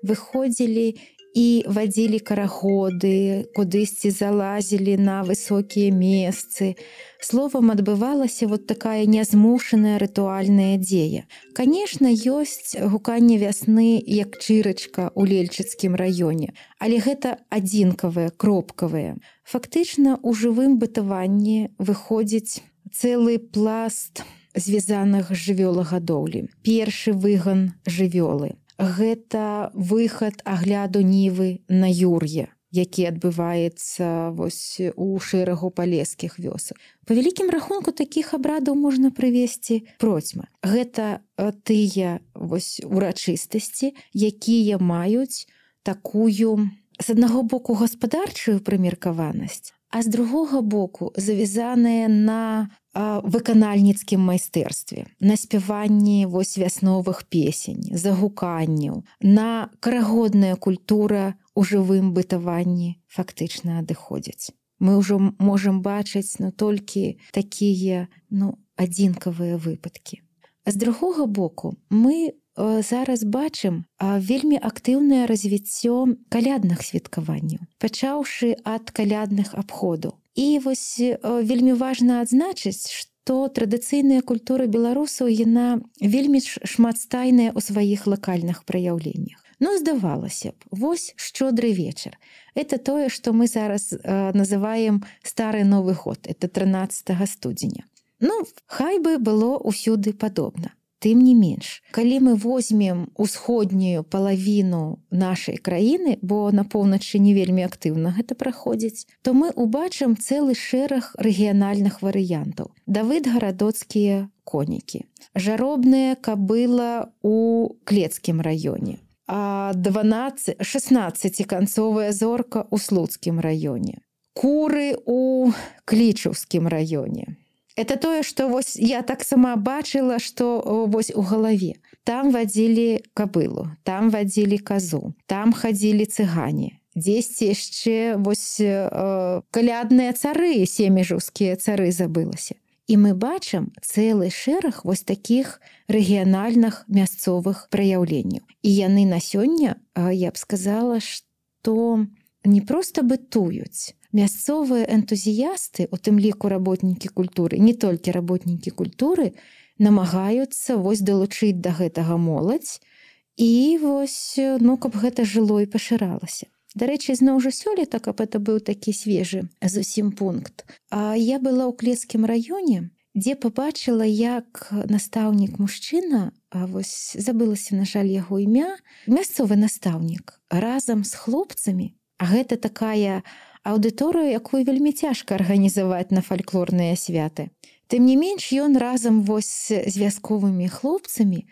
выходзілі і вадзілі карагоды, кудысьці залазілі на высокія месцы. Словам, адбывалася вот такая нязмушаная рытуальная дзея. Канешне, ёсць гуканне вясны як чырачка ў Лельчыцкім раёне, але гэта адзінкавыя, кропкавыя. Фактычна, у жывым бытаванні выходзіць цэлы пласт звязаных з жывёлагадоўлі. Першы выган жывёлы. Гэта выхад агляду нівы на юр'е. які адбываецца вось у шэрагу палескіх вёсак. Па вялікім рахунку такіх абрадаў можна прывесці процьма. Гэта тыя вось урачыстасці, якія маюць такую, з аднаго боку, гаспадарчую прымеркаванасць, а з другога боку завязаныя на выканальніцкім майстэрстве, на спяванні вось вясновых песень, загуканняў, на карагодная культура у жывым бытаванні фактычна адыходзяць. Мы ўжо можам бачыць ну, толькі такія ну, адзінкавыя выпадкі. А з другога боку, мы зараз бачым вельмі актыўнае развіццё калядных святкаванняў, пачаўшы ад калядных абходаў. І вось вельмі важна адзначыць, што традыцыйная культура беларусаў яна вельмі шматстайная ў сваіх лакальных праяўленнях. Ну, здавалася б, вось шчодры вечар. Это тое, што мы зараз называем стары Новы год, это трынаццатага студзеня. Ну, хай бы было ўсюды падобна. Тым не менш, калі мы возьмем усходнюю палавіну нашай краіны, бо на поўначы не вельмі актыўна гэта праходзіць, то мы убачым цэлы шэраг рэгіянальных варыянтаў. Давыдгарадоцкія конікі, жаробная кабыла ў Клецкім раёне, а шаснаццаціканцовая зорка ў Слуцкім раёне, куры ў Клічаўскім раёне. Это тое, што вось я так сама бачыла, што вось у галаве. Там вадзілі кабылу, там вадзілі казу, там хадзілі цыгане. Дзесьці яшчэ вось э, калядныя цары, семежаўскія цары забылася. І мы бачым цэлы шэраг вось такіх рэгіянальных мясцовых праяўленняў. І яны на сёння, я б сказала, што не проста бытуюць. Мясцовыя энтузіясты, у тым ліку работнікі культуры, не толькі работнікі культуры, намагаюцца вось далучыць да гэтага моладзь і вось, ну, каб гэта жыло і пашыралася. Дарэчы, зноў жа сёлета, каб это быў такі свежы зусім пункт. А я была ў Клецкім раёне, дзе пабачыла, як настаўнік мужчына, а вось забылася, на жаль, яго імя, мясцовы настаўнік, разам з хлопцамі, а гэта такая аўдыторыю, якую вельмі цяжка арганізаваць на фальклорныя святы. Тым не менш, ён разам вось з вясковымі хлопцамі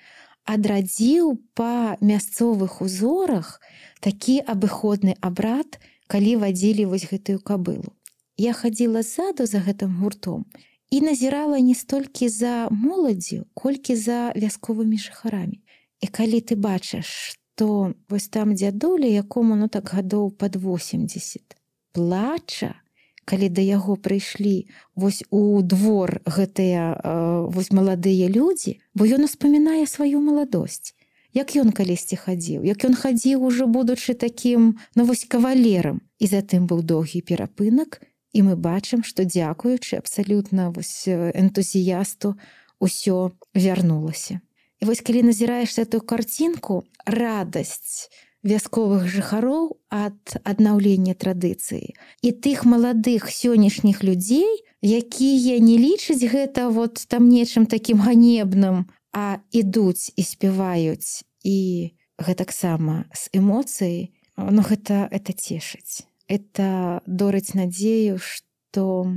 адрадзіў па мясцовых узорах такі абыходны абрад, калі вадзілі вось гэтую кабылу. Я хадзіла ззаду за гэтым гуртом і назірала не столькі за моладзю, колькі за вясковымі жыхарамі. І калі ты бачыш, што вось там дзядуля, якому ну так гадоў пад восемдзесят, плача, калі да яго прыйшлі вось у двор гэтыя э, вось маладыя людзі, бо ён успамінае сваю маладосць. Як ён калісьці хадзіў, як ён хадзіў ужо будучы такім, ну вось кавалерам. І затым быў доўгі перапынак, і мы бачым, што дзякуючы абсалютна вось энтузіясту усё вярнулася. І вось калі назіраеш эту карцінку, радасць вясковых жыхароў ад аднаўлення традыцыі і тых маладых сённяшніх людзей, якія не лічаць гэта вот там нечым такім ганебным, а ідуць і спяваюць і гэтаксама з эмоцыяй, ну гэта, это цешыць. Это дорыць надзею, што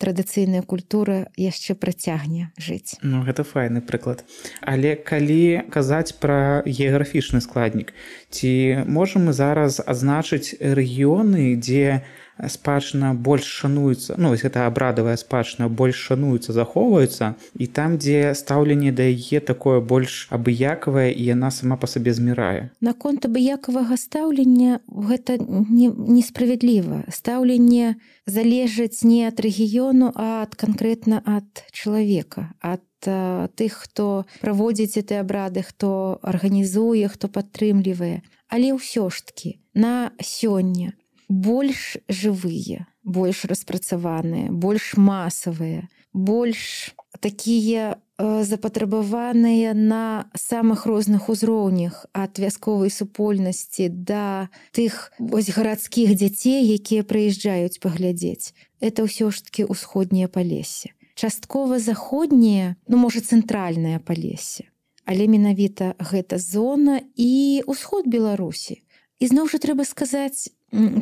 традыцыйная культура яшчэ працягне жыць. Ну, гэта файны прыклад. Але калі казаць пра геаграфічны складнік, ці можам мы зараз адзначыць рэгіёны, дзе спадчына больш шануецца, ну, вось гэта абрадавая спадчына больш шануецца, захоўваецца, і там, дзе стаўленне да яе такое больш абыякавае, і яна сама па сабе змірае? Наконт абыякавага стаўлення гэта не, несправядліва. Стаўленне залежыць не ад рэгіёну, а ад канкрэтна ад чалавека, ад а, тых, хто праводзіць гэты абрады, хто арганізуе, хто падтрымлівае. Але ўсё ж такі на сёння больш жывыя, больш распрацаваныя, больш масавыя, больш такія э, запатрабаваныя на самых розных узроўнях ад вясковай супольнасці да тых вось гарадскіх дзяцей, якія прыязджаюць паглядзець. Это ўсё ж такі ўсходняе палессе. Часткова заходняе, ну можа цэнтральнае палессе, але менавіта гэта зона і ўсход Беларусі. І зноў жа трэба сказаць,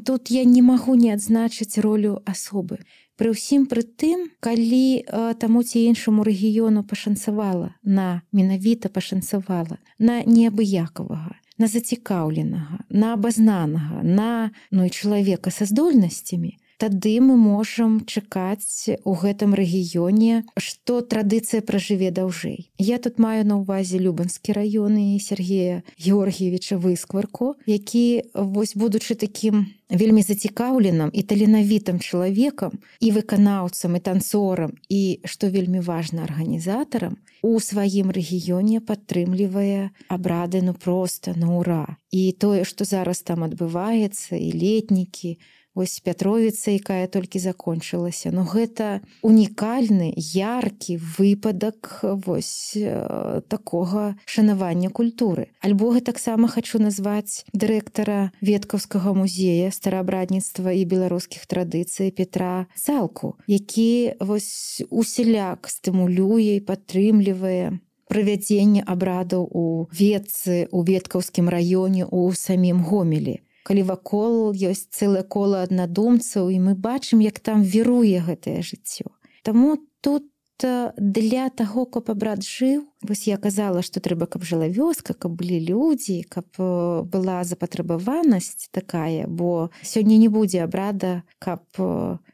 тут я не магу не адзначыць ролю асобы. Пры ўсім пры тым, калі таму ці іншаму рэгіёну пашанцавала, на менавіта пашанцавала, на неабыякавага, на зацікаўленага, на абазнанага, на ну, і чалавека са здольнасцямі, тады мы можам чакаць у гэтым рэгіёне, што традыцыя пражыве даўжэй. Я тут маю на ўвазе Любанскі раён і Сергея Георгіевіча Выскварку, які, вось, будучы такім вельмі зацікаўленым і таленавітым чалавекам, і выканаўцам, і танцорам, і, што вельмі важна, арганізатарам, у сваім рэгіёне падтрымлівае абрады ну проста на ура. І тое, што зараз там адбываецца, і летнікі, вось Пятровіца, якая толькі закончылася. Ну гэта унікальны, яркі выпадак вось такога шанавання культуры. Альбо гэтаксама хачу назваць дырэктара Веткаўскага музея стараабрадніцтва і беларускіх традыцый Петра Цалку, які вось усяляк стымулюе і падтрымлівае правядзенне абрадаў у Ветцы, у Веткаўскім раёне, у самім Гомелі. Калі вакол ёсць цэлае кола аднадумцаў, і мы бачым, як там віруе гэтае жыццё. Таму тут для таго, каб абрад жыў, вось я казала, што трэба, каб жыла вёска, каб былі людзі, каб была запатрабаванасць такая, бо сёння не будзе абрада, каб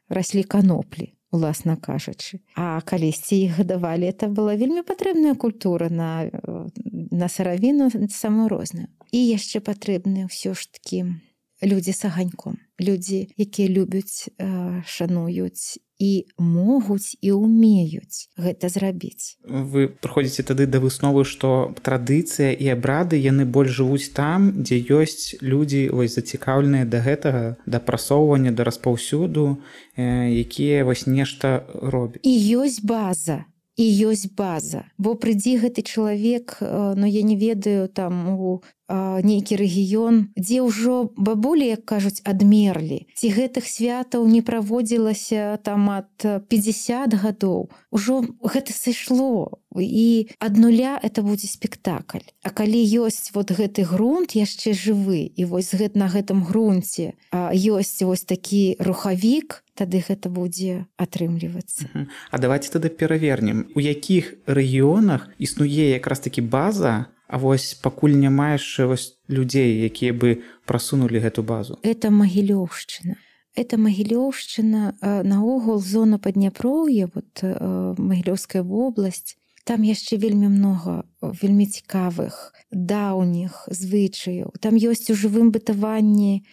раслі каноплі, уласна кажучы. А калісьці іх гадавалі, это была вельмі патрэбная культура на, на сыравіну самую розную. І яшчэ патрэбныя ўсё ж такі людзі з аганьком. Людзі, якія любяць, шануюць і могуць і ўмеюць гэта зрабіць. Вы прыходзіце тады да высновы, што традыцыя і абрады, яны больш жывуць там, дзе ёсць людзі вось зацікаўленыя да гэтага, да прасоўвання, да распаўсюду, якія вось нешта робяць. І ёсць база. І ёсць база. Бо прыйдзі гэты чалавек, ну я не ведаю, там у нейкі рэгіён, дзе ўжо бабулі, як кажуць, адмерлі. Ці гэтых святаў не праводзілася там ад пятьдесят гадоў. Ужо гэта сышло. І ад нуля это будзе спектакль. А калі ёсць вот гэты грунт яшчэ жывы, і вось на гэтым грунце ёсць вось такі рухавік, тады гэта будзе атрымлівацца. Uh-huh. А давайте тады перавернем, у якіх рэгіёнах існуе якраз такі база, а вось пакуль няма яшчэ вось людзей, якія бы прасунулі гэту базу? Это Магілёўшчына. Это Магілёўшчына, наогул зона Падняпроўя, вот Магілёўская вобласць, там яшчэ вельмі многа вельмі цікавых, даўніх звычаяў. Там ёсць у жывым бытаванні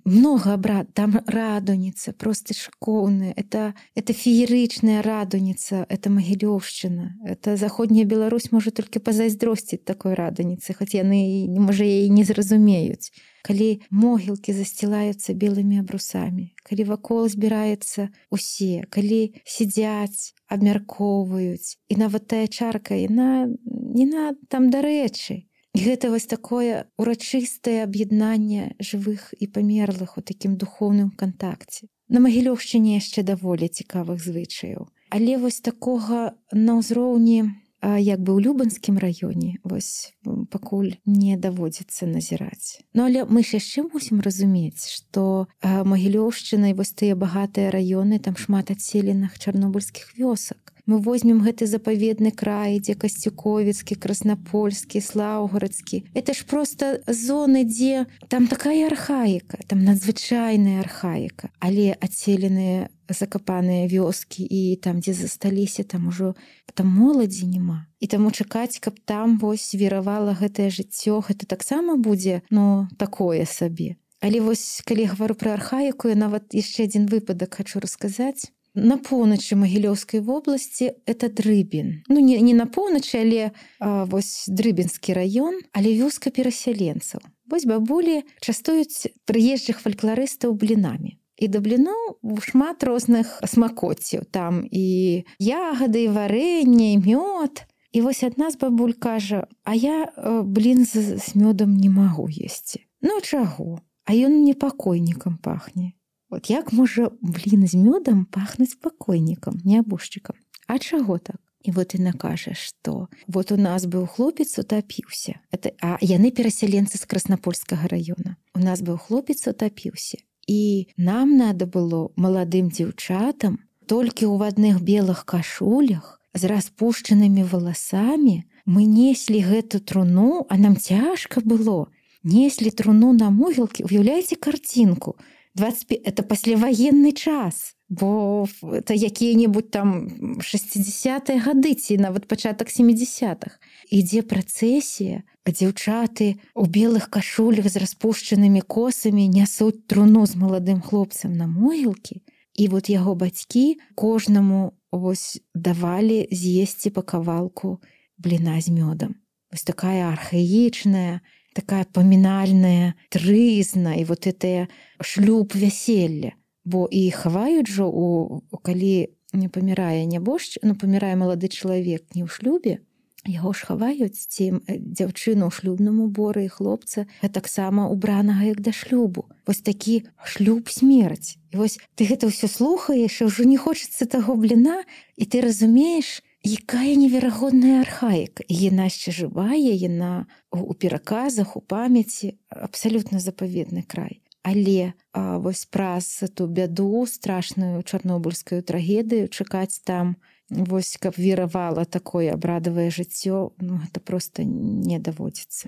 много абрад, там радуніца, просто шкоўная. Это, это феерычная радуніца, это Магілёўшчына. Это заходняя Беларусь можа толькі пазайздросціць такой радуніцы, хоць яны, можа, яе не зразумеюць. Калі могілкі засцілаюцца белымі абрусамі, калі вакол збіраецца усе, калі сядзяць, абмяркоўваюць, і нават тая чарка, яна, яна там дарэчы. І гэта вось такое урачыстае аб'яднанне жывых і памерлых у такім духоўным кантакце. На Магілёўшчыне яшчэ даволі цікавых звычаяў. Але вось такога на ўзроўні, як бы ў Любанскім раёне, вось пакуль не даводзіцца назіраць. Ну, але мы ж яшчэ мусім разумець, што Магілёўшчына і вось тыя багатыя раёны, там шмат адселеных чарнобыльскіх вёсак. Мы возьмем гэты запаведны край, дзе Касцюковіцкі, Краснапольскі, Слаўгарадскі. Это ж проста зоны, дзе там такая архаіка, там надзвычайная архаіка. Але адселеныя закапаныя вёскі і там, дзе засталіся, там ужо там моладзі няма. І таму чакаць, каб там вось віравала гэтае жыццё, гэта таксама будзе, ну, такое сабе. Але вось, калі гавару пра архаіку, я нават яшчэ адзін выпадак хачу расказаць. На поўначы Магілёўскай вобласці это Дрыбін. Ну, не, не на поўначы, але а, вось Дрыбінскі раён, але вёска перасяленцаў. Вось бабулі частуюць прыезджых фалькларыстаў блінамі. І да бліноў шмат розных смакоццяў. Там і ягады, і варэнне, і мёд. І вось адна з бабуль кажа, а я э, блін з, з мёдам не магу есці. Ну, чаго? А ён мне пакойнікам пахне. Вот як можа блін з мёдам пахнуць пакойнікам, нябожчыкам? А чаго так? І вот яна кажа, што вот у нас быў хлопец, утапіўся. Это, а яны перасяленцы з Краснапольскага раёна. У нас быў хлопец, утапіўся. І нам надо было маладым дзяўчатам толькі ў адных белых кашулях з распушчанымі валасамі. Мы неслі гэту труну, а нам цяжка было. Неслі труну на могілкі. Уяўляеце карцінку? двадцать пять это пасляваенны час, бо это якія-небудзь там шэсцідзясятыя гады ці нават пачатак сямідзясятых. Ідзе працэсія, а дзяўчаты у белых кашулях з распушчанымі косамі нясуць труну з маладым хлопцам на могілкі. І вот яго бацькі кожнаму вось давалі з'есці па кавалку бліна з мёдам. Вось такая архаічная, такая памінальная трызна і вот это шлюб вяселля. Бо і хаваюць жа, у, калі не памірае нябожчык, ну памірае малады чалавек не ў шлюбе, яго ж хаваюць ці дзяўчыну ў шлюбным уборы і хлопца таксама убранага як да шлюбу. Вось такі шлюб-смерць. І вось ты гэта ўсё слухаеш, і ўжо не хочацца таго бліна, і ты разумееш, якая неверагодная архаіка. Яна яшчэ жывая, яна у пераказах, у памяці, абсалютна запаведны край. Але а, вось праз ту бяду, страшную чарнобыльскую трагедыю, чакаць там, вось, каб віравала такое абрадавае жыццё, ну, гэта проста не даводзіцца.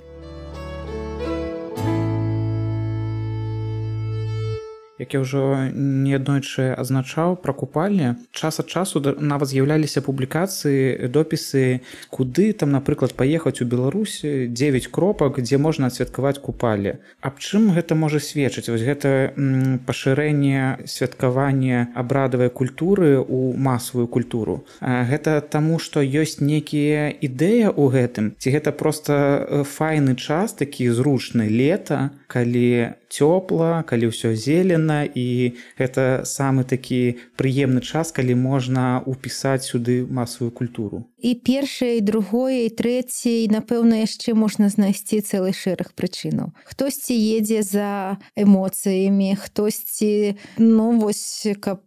Як я ўжо неаднойчы азначаў пра купальні, час ад часу нават з'яўляліся публікацыі, допісы, куды там, напрыклад, паехаць у Беларусь, дзевяць кропак, дзе можна адсвяткаваць купалле. Аб чым гэта можа сведчыць? Вось гэта м, пашырэнне святкавання абрадавай культуры ў масавую культуру. А гэта таму, што ёсць некія ідэя ў гэтым? Ці гэта проста файны час, такі зручны лета, калі цёпла, калі ўсё зелена, і гэта самы такі прыемны час, калі можна ўпісаць сюды масавую культуру. І першае, і другое, і трэцяе, і, напэўна, яшчэ можна знайсці цэлы шэраг прычынаў. Хтосьці едзе за эмоцыямі, хтосьці, ну, вось, каб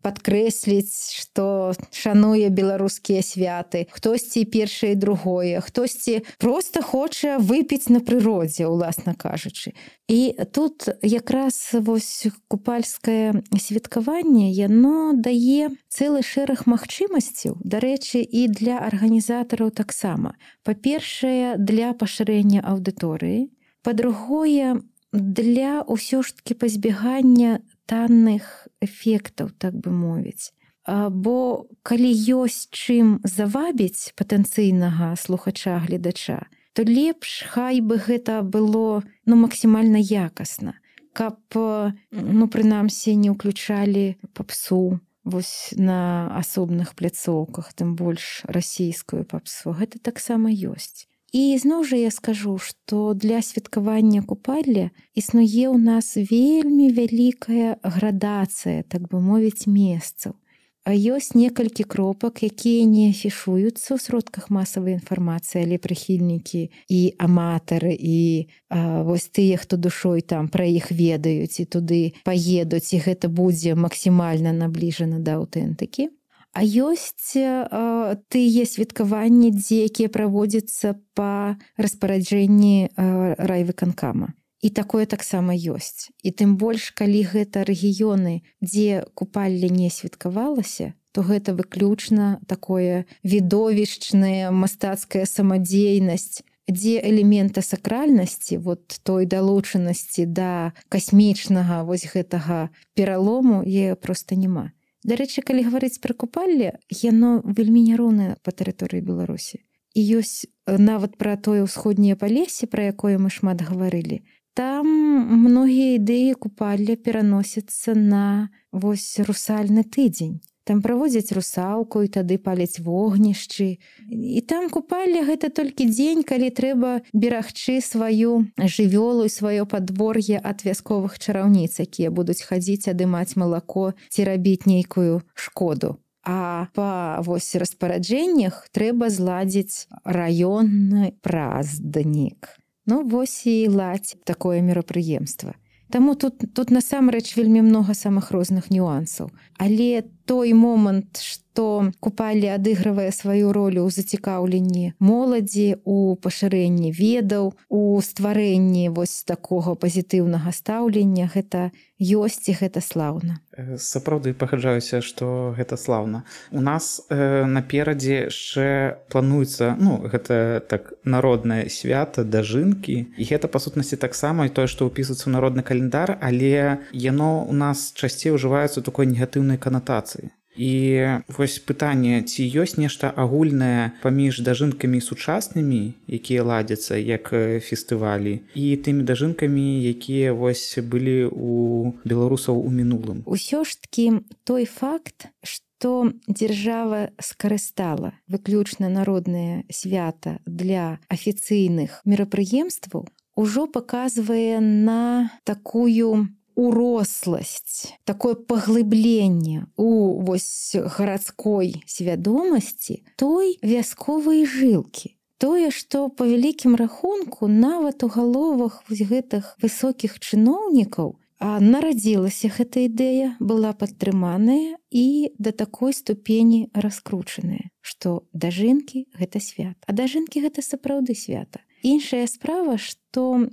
падкрэсліць, што шануе беларускія святы, хтосьці першае і другое, хтосьці проста хоча выпіць на прыродзе, уласна кажучы. І тут якраз вось купальскае святкаванне, яно дае цэлы шэраг магчымасцяў, дарэчы, і для арганізатараў таксама. Па-першае, для пашырэння аўдыторыі, па-другое, для ўсё ж такі пазбягання танных эфектаў, так бы мовіць. Бо калі ёсць чым завабіць патэнцыйнага слухача-гледача, то лепш хай бы гэта было, ну, максімальна якасна, каб, ну, прынамсі, не ўключалі папсу вось на асобных пляцоўках, тым больш расійскую папсу. Гэта таксама ёсць. І зноў жа я скажу, што для святкавання купалля існуе ў нас вельмі вялікая градацыя, так бы мовіць, месцаў. А ёсць некалькі кропак, якія не афішуюцца ў сродках масавай інфармацыі, але прыхільнікі і аматары, і а, вось тыя, хто душой там пра іх ведаюць і туды паедуць, і гэта будзе максімальна набліжана да аўтэнтыкі. А ёсць а, тыя святкаванні, дзе якія праводзяцца па распараджэнні а, райвыканкама. І такое таксама ёсць. І тым больш, калі гэта рэгіёны, дзе купалле не святкавалася, то гэта выключна такое відовішчная мастацкая самадзейнасць, дзе элемента сакральнасці, вот той далучанасці да касмічнага вось гэтага пералому, е проста няма. Дарэчы, калі гаварыць пра купалле, яно вельмі няроўнае па тэрыторыі Беларусі. І ёсць нават пра тое ўсходняе палесе, пра якое мы шмат гаварылі. Там многія ідэі купалля пераносяцца на вось русальны тыдзень. Там праводзяць русалку і тады паляць вогнішчы. І там купалля гэта толькі дзень, калі трэба берагчы сваю жывёлу і сваё падвор'е ад вясковых чараўніц, якія будуць хадзіць адымаць малако ці рабіць нейкую шкоду. А па вось распараджэннях трэба зладзіць раённы празднік. Ну, вось і ладзь такое мерапрыемства. Таму тут, тут насамрэч вельмі многа самых розных нюансаў. Але той момант, што што купале адыгрывае сваю ролю ў зацікаўленні моладзі, у пашырэнні ведаў, у стварэнні вось такога пазітыўнага стаўлення, гэта ёсць і гэта слаўна. Сапраўды пагаджаюся, што гэта слаўна. У нас э, наперадзе яшчэ плануецца, ну, гэта так народнае свята дажынкі, і гэта па сутнасці таксама і тое, што ўпісваецца ў народны календар, але яно у нас часцей ужываецца ў такой негатыўнай канатацыі. І вось пытанне, ці ёсць нешта агульнае паміж дажынкамі сучаснымі, якія ладзяцца як фестывалі, і тымі дажынкамі, якія вось былі у беларусаў у мінулым. Усё ж такі той факт, што дзяржава скарыстала выключна народнае свята для афіцыйных мерапрыемстваў, ужо паказвае на такую уросласць, такое паглыбленне у вось гарадской свядомасці той вясковай жылкі. Тое, што па вялікім рахунку нават у галовах вось гэтых высокіх чыноўнікаў нарадзілася гэта ідэя, была падтрыманая і да такой ступені раскручаная, што дажынкі гэта свята. А дажынкі гэта сапраўды свята. Іншая справа, што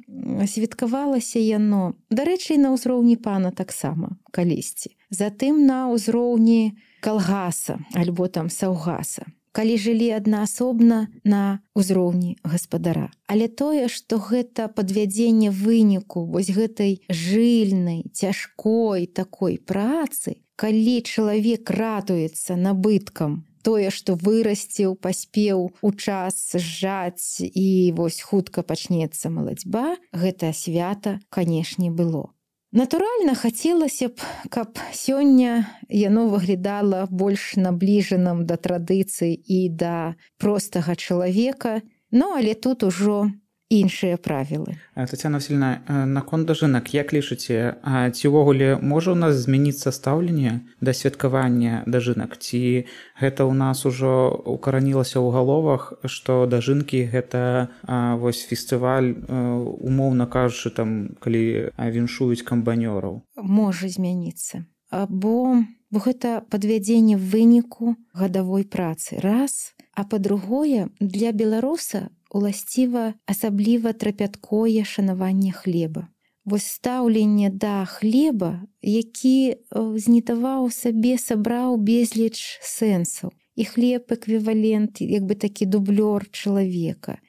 святкавалася яно, дарэчы, на ўзроўні пана таксама калісьці. Затым на ўзроўні калгаса альбо там саўгаса, калі жылі аднаасобна на ўзроўні гаспадара. Але тое, што гэта падвядзенне выніку вось гэтай жыльнай, цяжкой такой працы, калі чалавек радуецца набыткам, тое, што вырасціў, паспеў у час зжаць і вось хутка пачнецца малацьба, гэта свята, канешне, было. Натуральна, хацелася б, каб сёння яно выглядала больш набліжаным да традыцый і да простага чалавека, ну, але тут ужо іншыя правілы. Тацяна Васільевна, наконт дажынак, як лічыце, ці ўвогуле можа ў нас змяніцца стаўленне да святкавання дажынак? Ці гэта ў нас ужо укаранілася ў галовах, што дажынкі гэта вось фестываль, умоўна кажучы, там, калі віншуюць камбанёраў? Можа змяніцца. Бо гэта падвядзенне выніку гадавой працы. Раз, а па-другое, для беларуса уласціва асабліва трапяткое шанаванне хлеба. Вось стаўленне да хлеба, які знітаваў сабе, сабраў безліч сэнсаў. І хлеб эквівалент, як бы такі дублёр чалавека.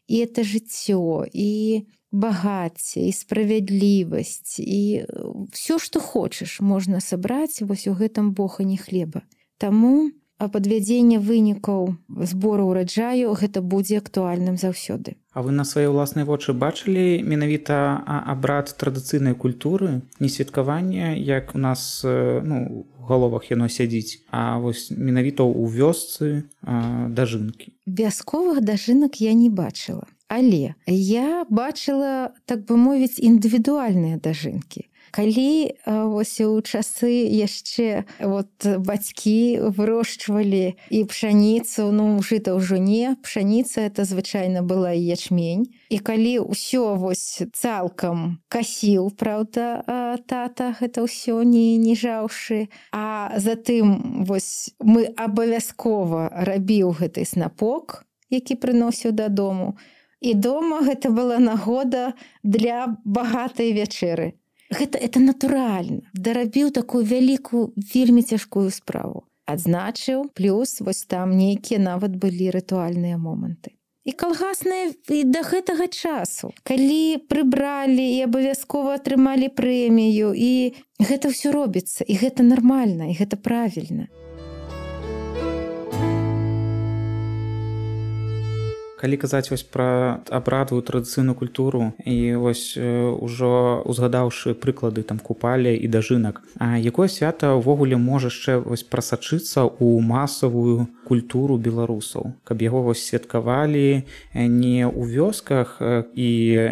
І это жыццё, і багацце, і справядлівасць, і ўсё, што хочаш, можна сабраць вось у гэтым бохані хлеба. Таму а падвядзенне вынікаў збору ўраджаю гэта будзе актуальным заўсёды. А вы на свае ўласныя вочы бачылі менавіта абрад традыцыйнай культуры, не святкавання, як у нас, ну, у галовах яно сядзіць, а вось менавіта ў вёсцы дажынкі? Вясковых дажынак я не бачыла, але я бачыла, так бы мовіць, індывідуальныя дажынкі. Калі вось у часы яшчэ вот бацькі вырошчвалі і пшаніцу, ну, жыта ўжо не, пшаніца это звычайна была і ячмень. І калі ўсё вось цалкам касіў, праўда, тата, гэта ўсё не, не жаўшы, а затым вось мы абавязкова рабіў гэты снапок, які прыносіў дадому. І дома гэта была нагода для багатай вячэры. Гэта, это натуральна. Дарабіў такую вялікую, вельмі цяжкую справу. Адзначыў, плюс вось там нейкія нават былі рытуальныя моманты. І калгасныя і да гэтага часу. Калі прыбралі і абавязкова атрымалі прэмію, і гэта ўсё робіцца, і гэта нармальна, і гэта правільна. Калі казаць вось пра абрадавую традыцыйную культуру і вось ужо узгадаўшы прыклады там купалі і дажынак, а якое свята ўвогуле можа яшчэ вось прасачыцца ў масавую культуру беларусаў, каб яго вось святкавалі не ў вёсках і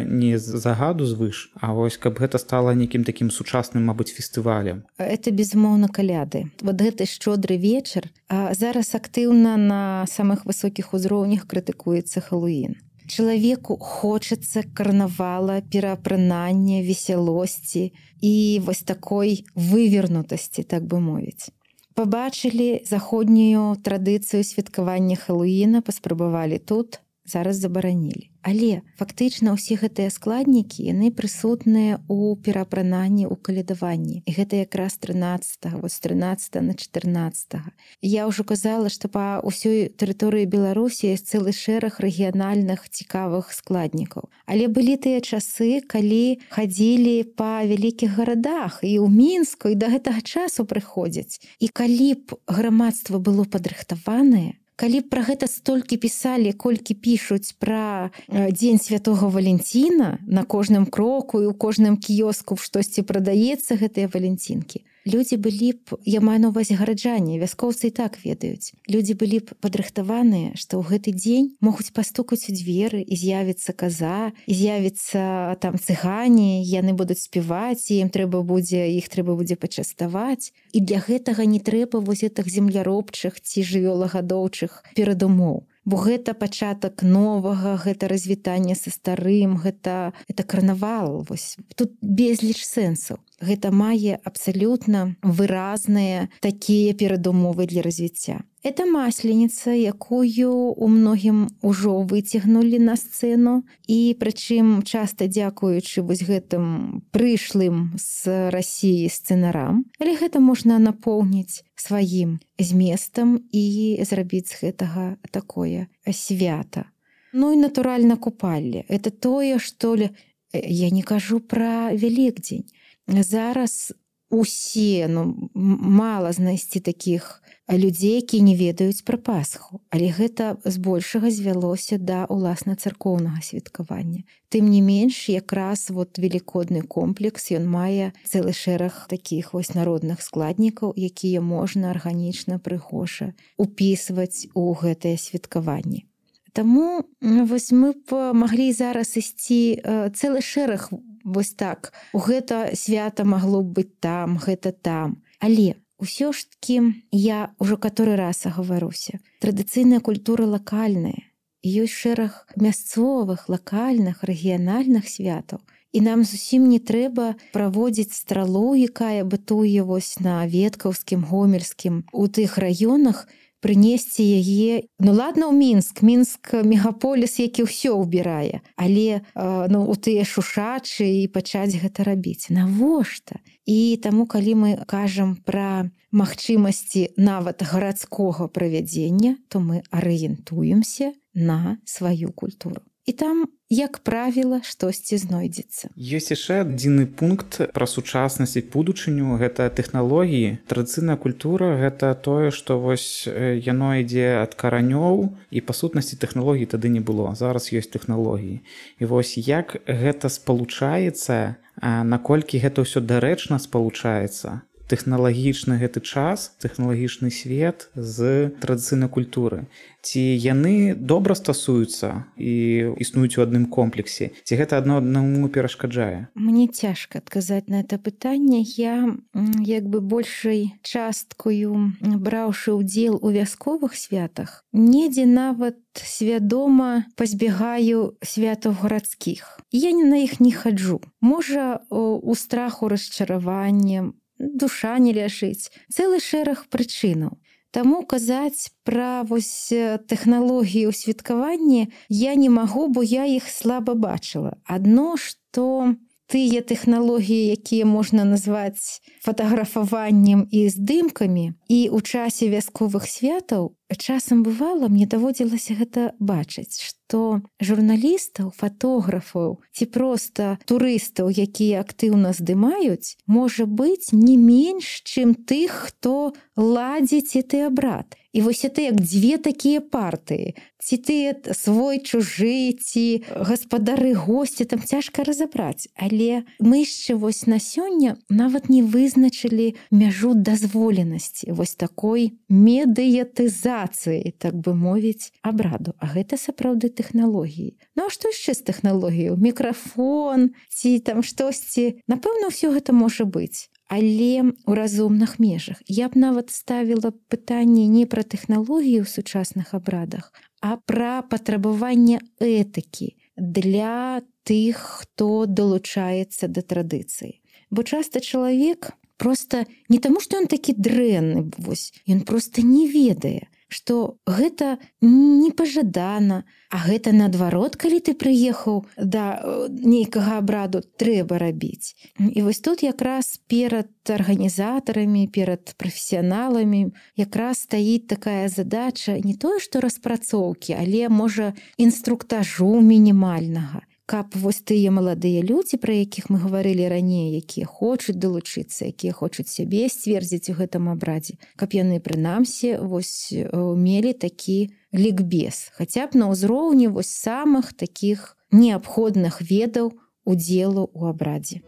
не з загаду звыш, а вось каб гэта стала нейкім такім сучасным, мабыць, фестывалем? Это безумоўна каляды. Вот гэты шчодры вечар зараз актыўна на самых высокіх узроўнях крытыкуецца Хэллоуін. Чалавеку хочацца карнавала, пераапранання, весялосці і вось такой вывернутасці, так бы мовіць. пабачылі заходнюю традыцыю святкавання Хэллоуіна, паспрабавалі тут, зараз забаранілі. Але фактычна ўсе гэтыя складнікі, яны прысутныя ў пераапрананні, ў калядаванні. І гэта якраз трынаццатага, вось трынаццатага на чатырнаццатага. Я ўжо казала, што па ўсёй тэрыторыі Беларусі ёсць цэлы шэраг рэгіянальных цікавых складнікаў. Але былі тыя часы, калі хадзілі па вялікіх гарадах і ў Мінску, і да гэтага часу прыходзяць. І калі б грамадства было падрыхтаванае, калі б пра гэта столькі пісалі, колькі пішуць пра дзень святога Валенціна на кожным кроку і ў кожным кіёску штосьці прадаецца гэтыя валенцінкі, людзі былі б, я маю на ўвазе гараджане, вяскоўцы і так ведаюць, людзі былі б падрыхтаваныя, што ў гэты дзень могуць пастукаць у дзверы, і з'явіцца каза, і з'явіцца там цыгане, яны будуць спяваць, і ім трэба будзе, іх трэба будзе пачаставаць. І для гэтага не трэба вось гэтых земляробчых ці жывёлагадоўчых перадумоў. Бо гэта пачатак новага, гэта развітанне са старым, гэта, гэта карнавал. Вось. Тут безліч сэнсаў. Гэта мае абсалютна выразныя такія перадумовы для развіцця. Это масленіца, якую у многім ужо выцягнулі на сцэну, і прычым часта дзякуючы вось гэтым прышлым з Расіі сцэнарам, але гэта можна напоўніць сваім зместам і зрабіць з гэтага такое свята. Ну і натуральна купалле. Это тое, што я не кажу пра Вялікдзень. Зараз усе, ну, мала знайсці такіх людзей, які не ведаюць пра Пасху. Але гэта збольшага звялося да уласна царкоўнага святкавання. Тым не менш, якраз вот велікодны комплекс, ён мае цэлы шэраг такіх вось народных складнікаў, якія можна арганічна, прыгожа упісваць у гэтае святкаванне. Таму вось мы б маглі зараз ісці цэлы шэраг вось так. Гэта свята магло б быць там, гэта там. Але ўсё ж такі, я ўжо каторы раз агаwaruся, традыцыйная культура лакальная. Ёсць шэраг мясцовых, лакальных, рэгіянальных святаў. І нам зусім не трэба праводзіць стралу, якая бытуе вось на Веткаўскім, Гомельскім, у тых раёнах, прынесці яе, ну ладно, ў Мінск, Мінск мегаполіс, які ўсё ўбірае, але ну, у тыя шушачы і пачаць гэта рабіць. Навошта? І таму, калі мы кажам пра магчымасці нават гарадскога правядзення, то мы арыентуемся на сваю культуру. І там, як правіла, штосьці знойдзецца. Ёсць яшчэ адзіны пункт пра сучаснасць і будучыню, гэта тэхналогіі. Традыцыйная культура гэта тое, што вось яно ідзе ад каранёў, і па сутнасці тэхналогій тады не было. Зараз ёсць тэхналогіі. І вось як гэта спалучаецца, наколькі гэта ўсё дарэчна спалучаецца, тэхналагічны гэты час, тэхналагічны свет з традыцыйнай культуры. Ці яны добра стасуюцца і існуюць у адным комплексе? Ці гэта адно аднаму перашкаджае? Мне цяжка адказаць на это пытанне. Я як бы большай часткаю, браўшы ўдзел у вясковых святах, недзе нават свядома пазбегаю святаў гарадскіх. Я на іх не хаджу. Можа, у страху расчаравання, душа не ляжыць. Цэлы шэраг прычынаў. Таму казаць пра вось тэхналогіі ў святкаванні я не магу, бо я іх слаба бачыла. Адно, што тыя тэхналогіі, якія можна назваць фатаграфаваннем і здымкамі, і ў часе вясковых святаў часам бывала, мне даводзілася гэта бачыць, што журналістаў, фатографаў ці проста турыстаў, якія актыўна здымаюць, можа быць не менш, чым тых, хто ладзіць гэты абрад. І вось это як дзве такія партыі. Ці ты свой, чужы, ці гаспадары, госці, там цяжка разабраць. Але мы яшчэ вось на сёння нават не вызначылі мяжу дазволенасці вось такой медыятызацыі, так бы мовіць, абраду. А гэта сапраўды тэхналогіі. Ну а што яшчэ з тэхналогіяў? Мікрафон ці там штосьці? Напэўна, ўсё гэта можа быць. Але ў разумных межах. Я б нават ставіла пытанне не пра тэхналогіі ў сучасных абрадах, а пра патрабаванне этыкі для тых, хто далучаецца да традыцыі. Бо часта чалавек просто не таму, што ён такі дрэнны, вось, ён просто не ведае, што гэта непажадана, а гэта наадварот, калі ты прыехаў да нейкага абраду, трэба рабіць. І вось тут якраз перад арганізатарамі, перад прафесіяналамі якраз стаіць такая задача не тое, што распрацоўкі, але, можа, інструктажу мінімальнага, каб вось тыя маладыя людзі, пра якіх мы гаварылі раней, якія хочуць далучыцца, якія хочуць сябе сцвердзіць у гэтым абрадзе, каб яны прынамсі вось мелі такі лікбез, хаця б на ўзроўні вось самых такіх неабходных ведаў удзелу ў абрадзе.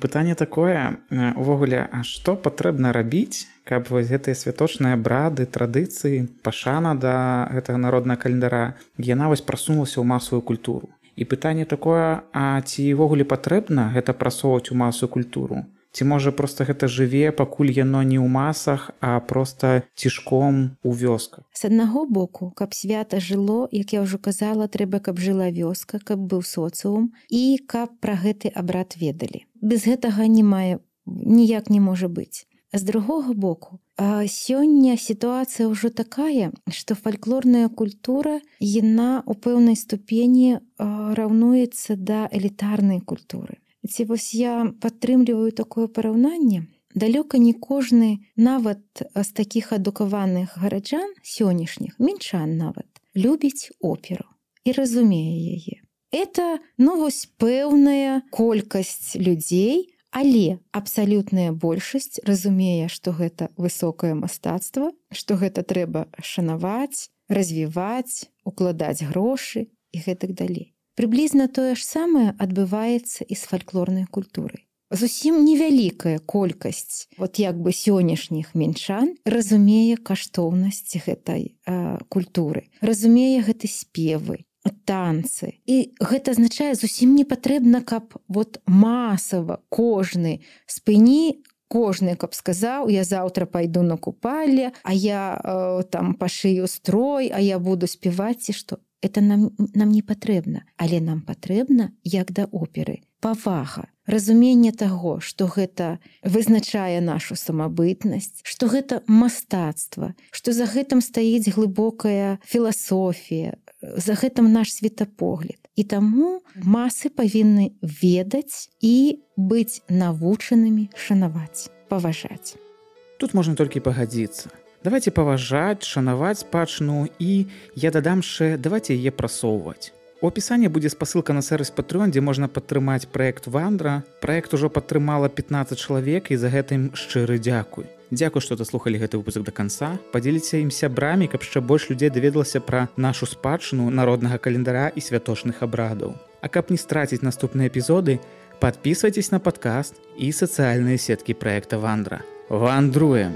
Пытанне такое, увогуле, а што патрэбна рабіць, каб вось гэтыя святочныя абрады, традыцыі, пашана да гэтага народнага календара, яна вось прасунулася ў масавую культуру. І пытанне такое, а ці ўвогуле патрэбна гэта прасоўваць у масавую культуру? Ці можа проста гэта жыве, пакуль яно не ў масах, а проста цішком у вёсках? З аднаго боку, каб свята жыло, як я ўжо казала, трэба, каб жыла вёска, каб быў соцыум і каб пра гэты абрад ведалі. Без гэтага не мае, ніяк не можа быць. З другога боку, сёння сітуацыя ўжо такая, што фальклорная культура, яна ў пэўнай ступені раўнуецца да элітарнай культуры. Ці вось я падтрымліваю такое параўнанне, далёка не кожны, нават з такіх адукаваных гараджан сённяшніх, мінчан нават, любіць оперу і разумее яе. Это, ну, вось пэўная колькасць людзей, але абсалютная большасць разумее, што гэта высокае мастацтва, што гэта трэба шанаваць, развіваць, укладаць грошы і гэтак далей. Прыблізна тое ж самае адбываецца і з фальклорнай культурай. Зусім невялікая колькасць вот як бы сённяшніх мінчан разумее каштоўнасць гэтай э, культуры, разумее гэты спевы, танцы. І гэта азначае, зусім не патрэбна, каб вот масава кожны спыні, кожны, каб сказаў, я заўтра пайду на купалле, а я э, там пашыю строй, а я буду спяваць, ці што. Это нам, нам не патрэбна, але нам патрэбна, як да оперы, павага, разуменне таго, што гэта вызначае нашу самабытнасць, што гэта мастацтва, што за гэтым стаіць глыбокая філасофія, за гэтым наш светапогляд. І таму масы павінны ведаць і быць навучанымі шанаваць, паважаць. Тут можна толькі пагадзіцца. Давайте паважаць, шанаваць спадчыну і, я дадам яшчэ, давайте яе прасоўваць. У апісанні будзе спасылка на сервіс Patreon, дзе можна падтрымаць праект Вандра. Праект ужо падтрымала пятнаццаць чалавек і за гэтым шчыры дзякуй. Дзякуй, што даслухалі гэты выпуск да канца. Падзеліце ім сябрамі, каб яшчэ больш людзей даведалася пра нашу спадчыну народнага календара і святочных абрадаў. А каб не страціць наступныя эпізоды, падпісвайцесь на падкаст і сацыяльныя сеткі праекта Вандра. Вандруем!